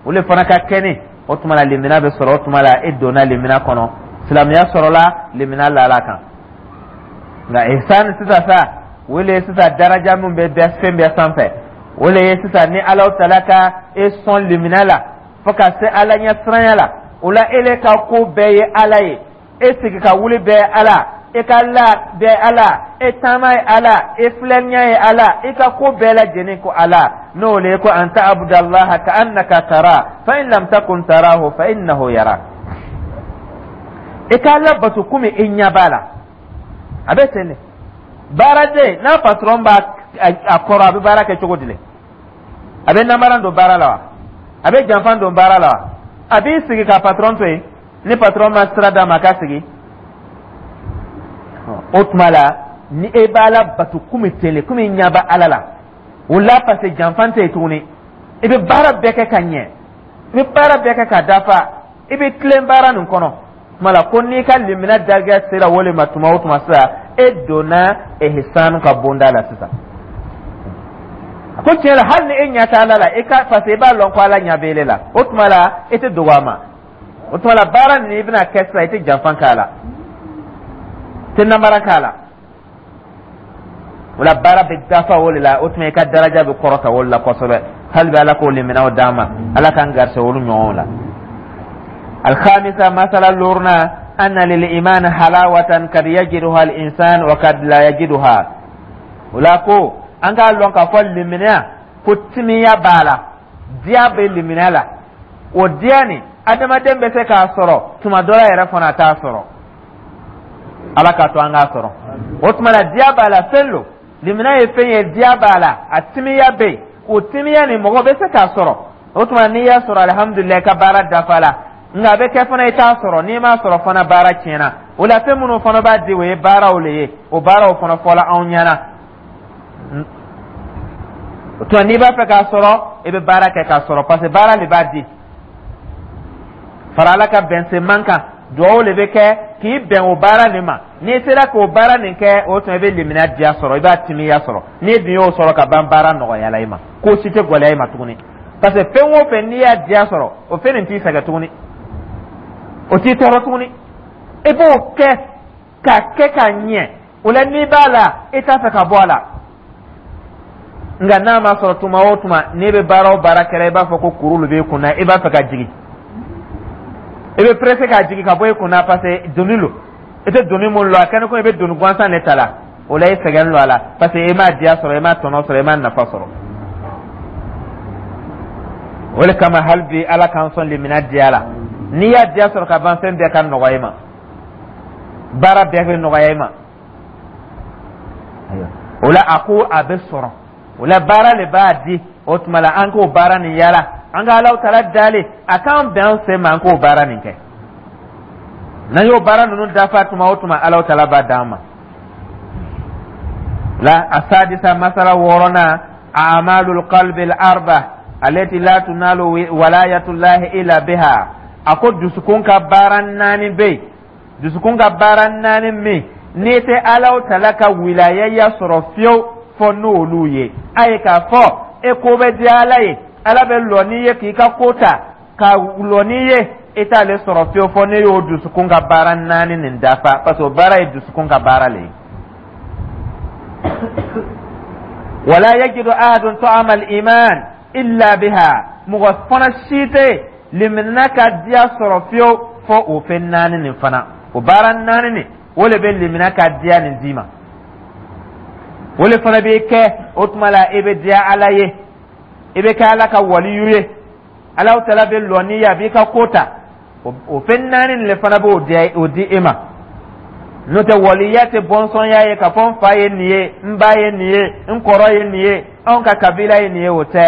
o le fana ka kɛnɛ, o tuma la limina bɛ sɔrɔ. O tuma la e donna limina kɔnɔ, silamɛya sɔrɔla, limina lala kan. Nka ihsan sisan sa, o le ye sisan daraja min bɛ bɛɛ fɛn bɛɛ sanfɛ. O le ye sisan ni Alahu tala ka e sɔn limina la fo ka se Ala ɲɛ siranya la, o la e le ka ko bɛɛ ye Ala ye, e sigi ka wuli bɛɛ Ala, e ka la bɛɛ Ala, e taama ye Ala, e filɛliya ye Ala, i ka ko bɛɛ lajɛlen ko Ala. N'o le ye ko an ta'budallaha ka annaka tara fa in lam takun tarahu fa innahu yarak. I k'Ala bato komi e ɲɛ b'a la. A bɛ ten de. Baaraden n'a patron b'a a kɔrɔ, a bɛ baara kɛ cogo di le? A bɛ namara don baara la wa? A bɛ janfan don baara la wa? A b'i sigi ka patron to yen ni patron ma sira d'a ma a ka sigi. O tuma la ni e b'Ala bato komi ten le, komi i ɲɛ bɛ Ala la, o la parce que janfan tɛ yen tuguni, i bɛ baara bɛɛ kɛ ka ɲɛ, i bɛ baara bɛɛ kɛ ka dafa, i bɛ tilen baara nin kɔnɔ. Tuma la ko n'i ka limina dajɛ sera o le ma tuma o tuma sisan, e donna ihsan ka bonda la sisan. A ko tiɲɛ la, hali ni e ɲɛ tɛ Ala la, e ka parce que i b'a lɔn ko Ala ɲɛ bɛ e la, o tuma la e tɛ dogo a ma. O tuma la baara nin i bɛna kɛ sisan, i tɛ janfan k'a la, i tɛ namara k'a la. O la baara bɛ dafa o de la. O tuma i ka daraja bɛ kɔrɔta o de la kosɛbɛ. Hali bi Ala k'o liminaw d'an ma, Ala k'an garisɛgɛ olu ɲɔgɔnw la. Alhamisa, masala loruna: anna lil iman halawatan kad yajiduha al insan wa kad la yajiduha. O la ko an k'a lɔn k'a fɔ liminiya ko timiya b'a la, diya bɛ liminiya la. O diya nin, adamaden bɛ se k'a sɔrɔ tuma dɔ la yɛrɛ fana, a t'a sɔrɔ. Ala k'a to an k'a sɔrɔ. O tuma la diya b'a la, fɛn lo, limina ye fɛn ye, diya b'a la, a timiya bɛ yen. O timiya nin, mɔgɔ bɛ se k'a sɔrɔ. O tuma n'i y'a sɔrɔ, alihamudulilayi, i ka baara dafa la. Nka a bɛ kɛ fana i t'a sɔrɔ. N'i m'a sɔrɔ fana, baara tiɲɛna. O la fɛn minnu fana b'a di, o ye baaraw le ye. O baaraw fana fɔla anw ɲɛna. O tuma n'i b'a fɛ k'a sɔrɔ, i bɛ baara kɛ k'a sɔrɔ, parce que baara de b'a di. Fara Ala ka bɛnsenman kan, duwawu le bɛ kɛ k'i bɛn o baara nin ma. N'i sera k'o baara nin kɛ, o tuma i bɛ limaniya diya sɔrɔ, i b'a timiya sɔrɔ. N'i dun y'o sɔrɔ ka ban, baara nɔgɔyala i ma, ko si tɛ gɛlɛya i ma tuguni, parce que fɛn o fɛn n'i y'a diya sɔrɔ, o fɛn nin t'i sɛgɛn tuguni, o t'i tɔɔrɔ tuguni. I b'o kɛ k'a kɛ k'a ɲɛ. O la, n'i b'a la, i t'a fɛ ka bɔ a la. Nka n'a ma sɔrɔ, tuma o tuma n'i bɛ baara o baara kɛra, i b'a fɔ ko kuru b'i kun na, i b'a fɛ ka jigin, i bɛ pressé k'a jigin ka bɔ i kun na, parce que doni lo, i tɛ doni mun lɔ, a kɛnɛ ko i bɛ doni gansan de ta la. O la, i sɛgɛn lo a la, parce que i m'a diya sɔrɔ, i m'a tɔnɔ sɔrɔ, i m'a nafa sɔrɔ. O de kama, hali bi, Ala k'an sɔn limina diya la. N'i y'a diya sɔrɔ ka ban, fɛn bɛɛ ka nɔgɔ i ma, baara bɛɛ bɛ nɔgɔya i ma. O la, a ko a bɛ sɔrɔ, o la baara le b'a di. O tuma la, an k'o baara nin yala, an ka Alahu Taala dali a k'an bɛn an sen ma, an k'o baara nin kɛ. N'an y'o baara ninnu dafa tuma o tuma, Alahu Taala b'a d'an ma. La asadisa, masala wɔɔrɔnan, amalul qalbi al arba alati la tunalu walayatullahi illa biha. A ko dusukun ka baara naani bɛ yen, dusukun ka baara naani min n'i tɛ Alahu Taala ka wilayaya sɔrɔ fiyewu fɔ n'olu ye. A ye k'a fɔ e ko bɛ diya Ala ye, Ala bɛ lɔ n'i ye k'i ka ko ta ka lɔ n'i ye, i t'ale sɔrɔ fiyewu fɔ ne y'o dusukun ka baara naani nin dafa, parce que o baara ye dusukun ka baara le ye. Wala yajidu ahadun ta'ama al-iman illa biha. Mɔgɔ fana si tɛ limaniya ka diya sɔrɔ fiyewu fɔ o fɛn naani nin fana. O baara naani nin, o le bɛ limaniya ka diya nin d'i ma, o le fana bɛ kɛ. O tuma la, i bɛ diya Ala ye, i bɛ kɛ Ala ka waliyu ye, Alahu Taala bɛ lɔ n'i ye, a b'i ka ko ta. O fɛn naani nin le fana b'o di, o di e ma. N'o tɛ, waliya tɛ bɔnsɔnya ye k'a fɔ n fa ye nin ye, n ba ye nin ye, n kɔrɔ ye nin ye, anw ka kabila ye nin ye, o tɛ.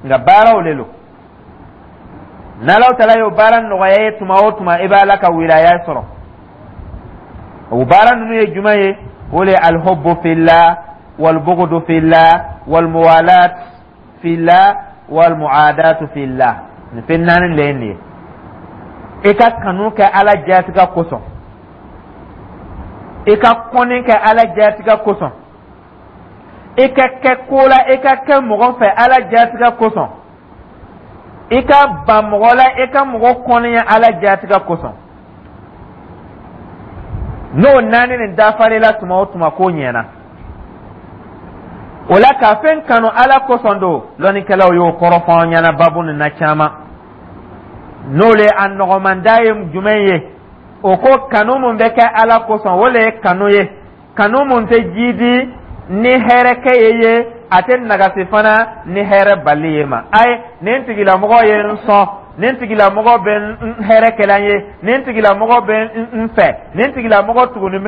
Nka baaraw le lo. N'Alahu Taala y'o baara nɔgɔya ye tuma o tuma, i bɛ Ala ka wilaya sɔrɔ. O baara ninnu ye jumɛn ye? O le ye alhubbu fillah walbughdu fillah walmuwalat fillah walmuadatu fillah. Nin fɛn naani le ye nin ye. I ka kanu kɛ Ala jaatiga kosɔn, i ka kɔnni kɛ Ala jaatiga kosɔn, i ka kɛ ko la, i ka kɛ mɔgɔ fɛ Ala jaatiga kosɔn, i ka ban mɔgɔ la, i ka mɔgɔ kɔniya Ala jaatiga kosɔn. N'o naani nin dafarila tuma o tuma, ko ɲɛna. O la, ka fɛn kanu Ala kosɔn don, lɔnnikɛlaw y'o kɔrɔ fɔ an ɲɛna babu nin na caman. N'o le a nɔgɔmanda ye jumɛn ye? O ko kanu mun bɛ kɛ Ala kosɔn, o le ye kanu ye, kanu mun tɛ jidi ni hɛrɛ kɛ ye, a tɛ nagasi fana ni hɛrɛ bali ye ma. Ayi, nin tigilamɔgɔ ye n sɔn, nin tigilamɔgɔ bɛ n hɛrɛ kɛla n ye, nin tigilamɔgɔ bɛ n fɛ, nin tigilamɔgɔ tuguni.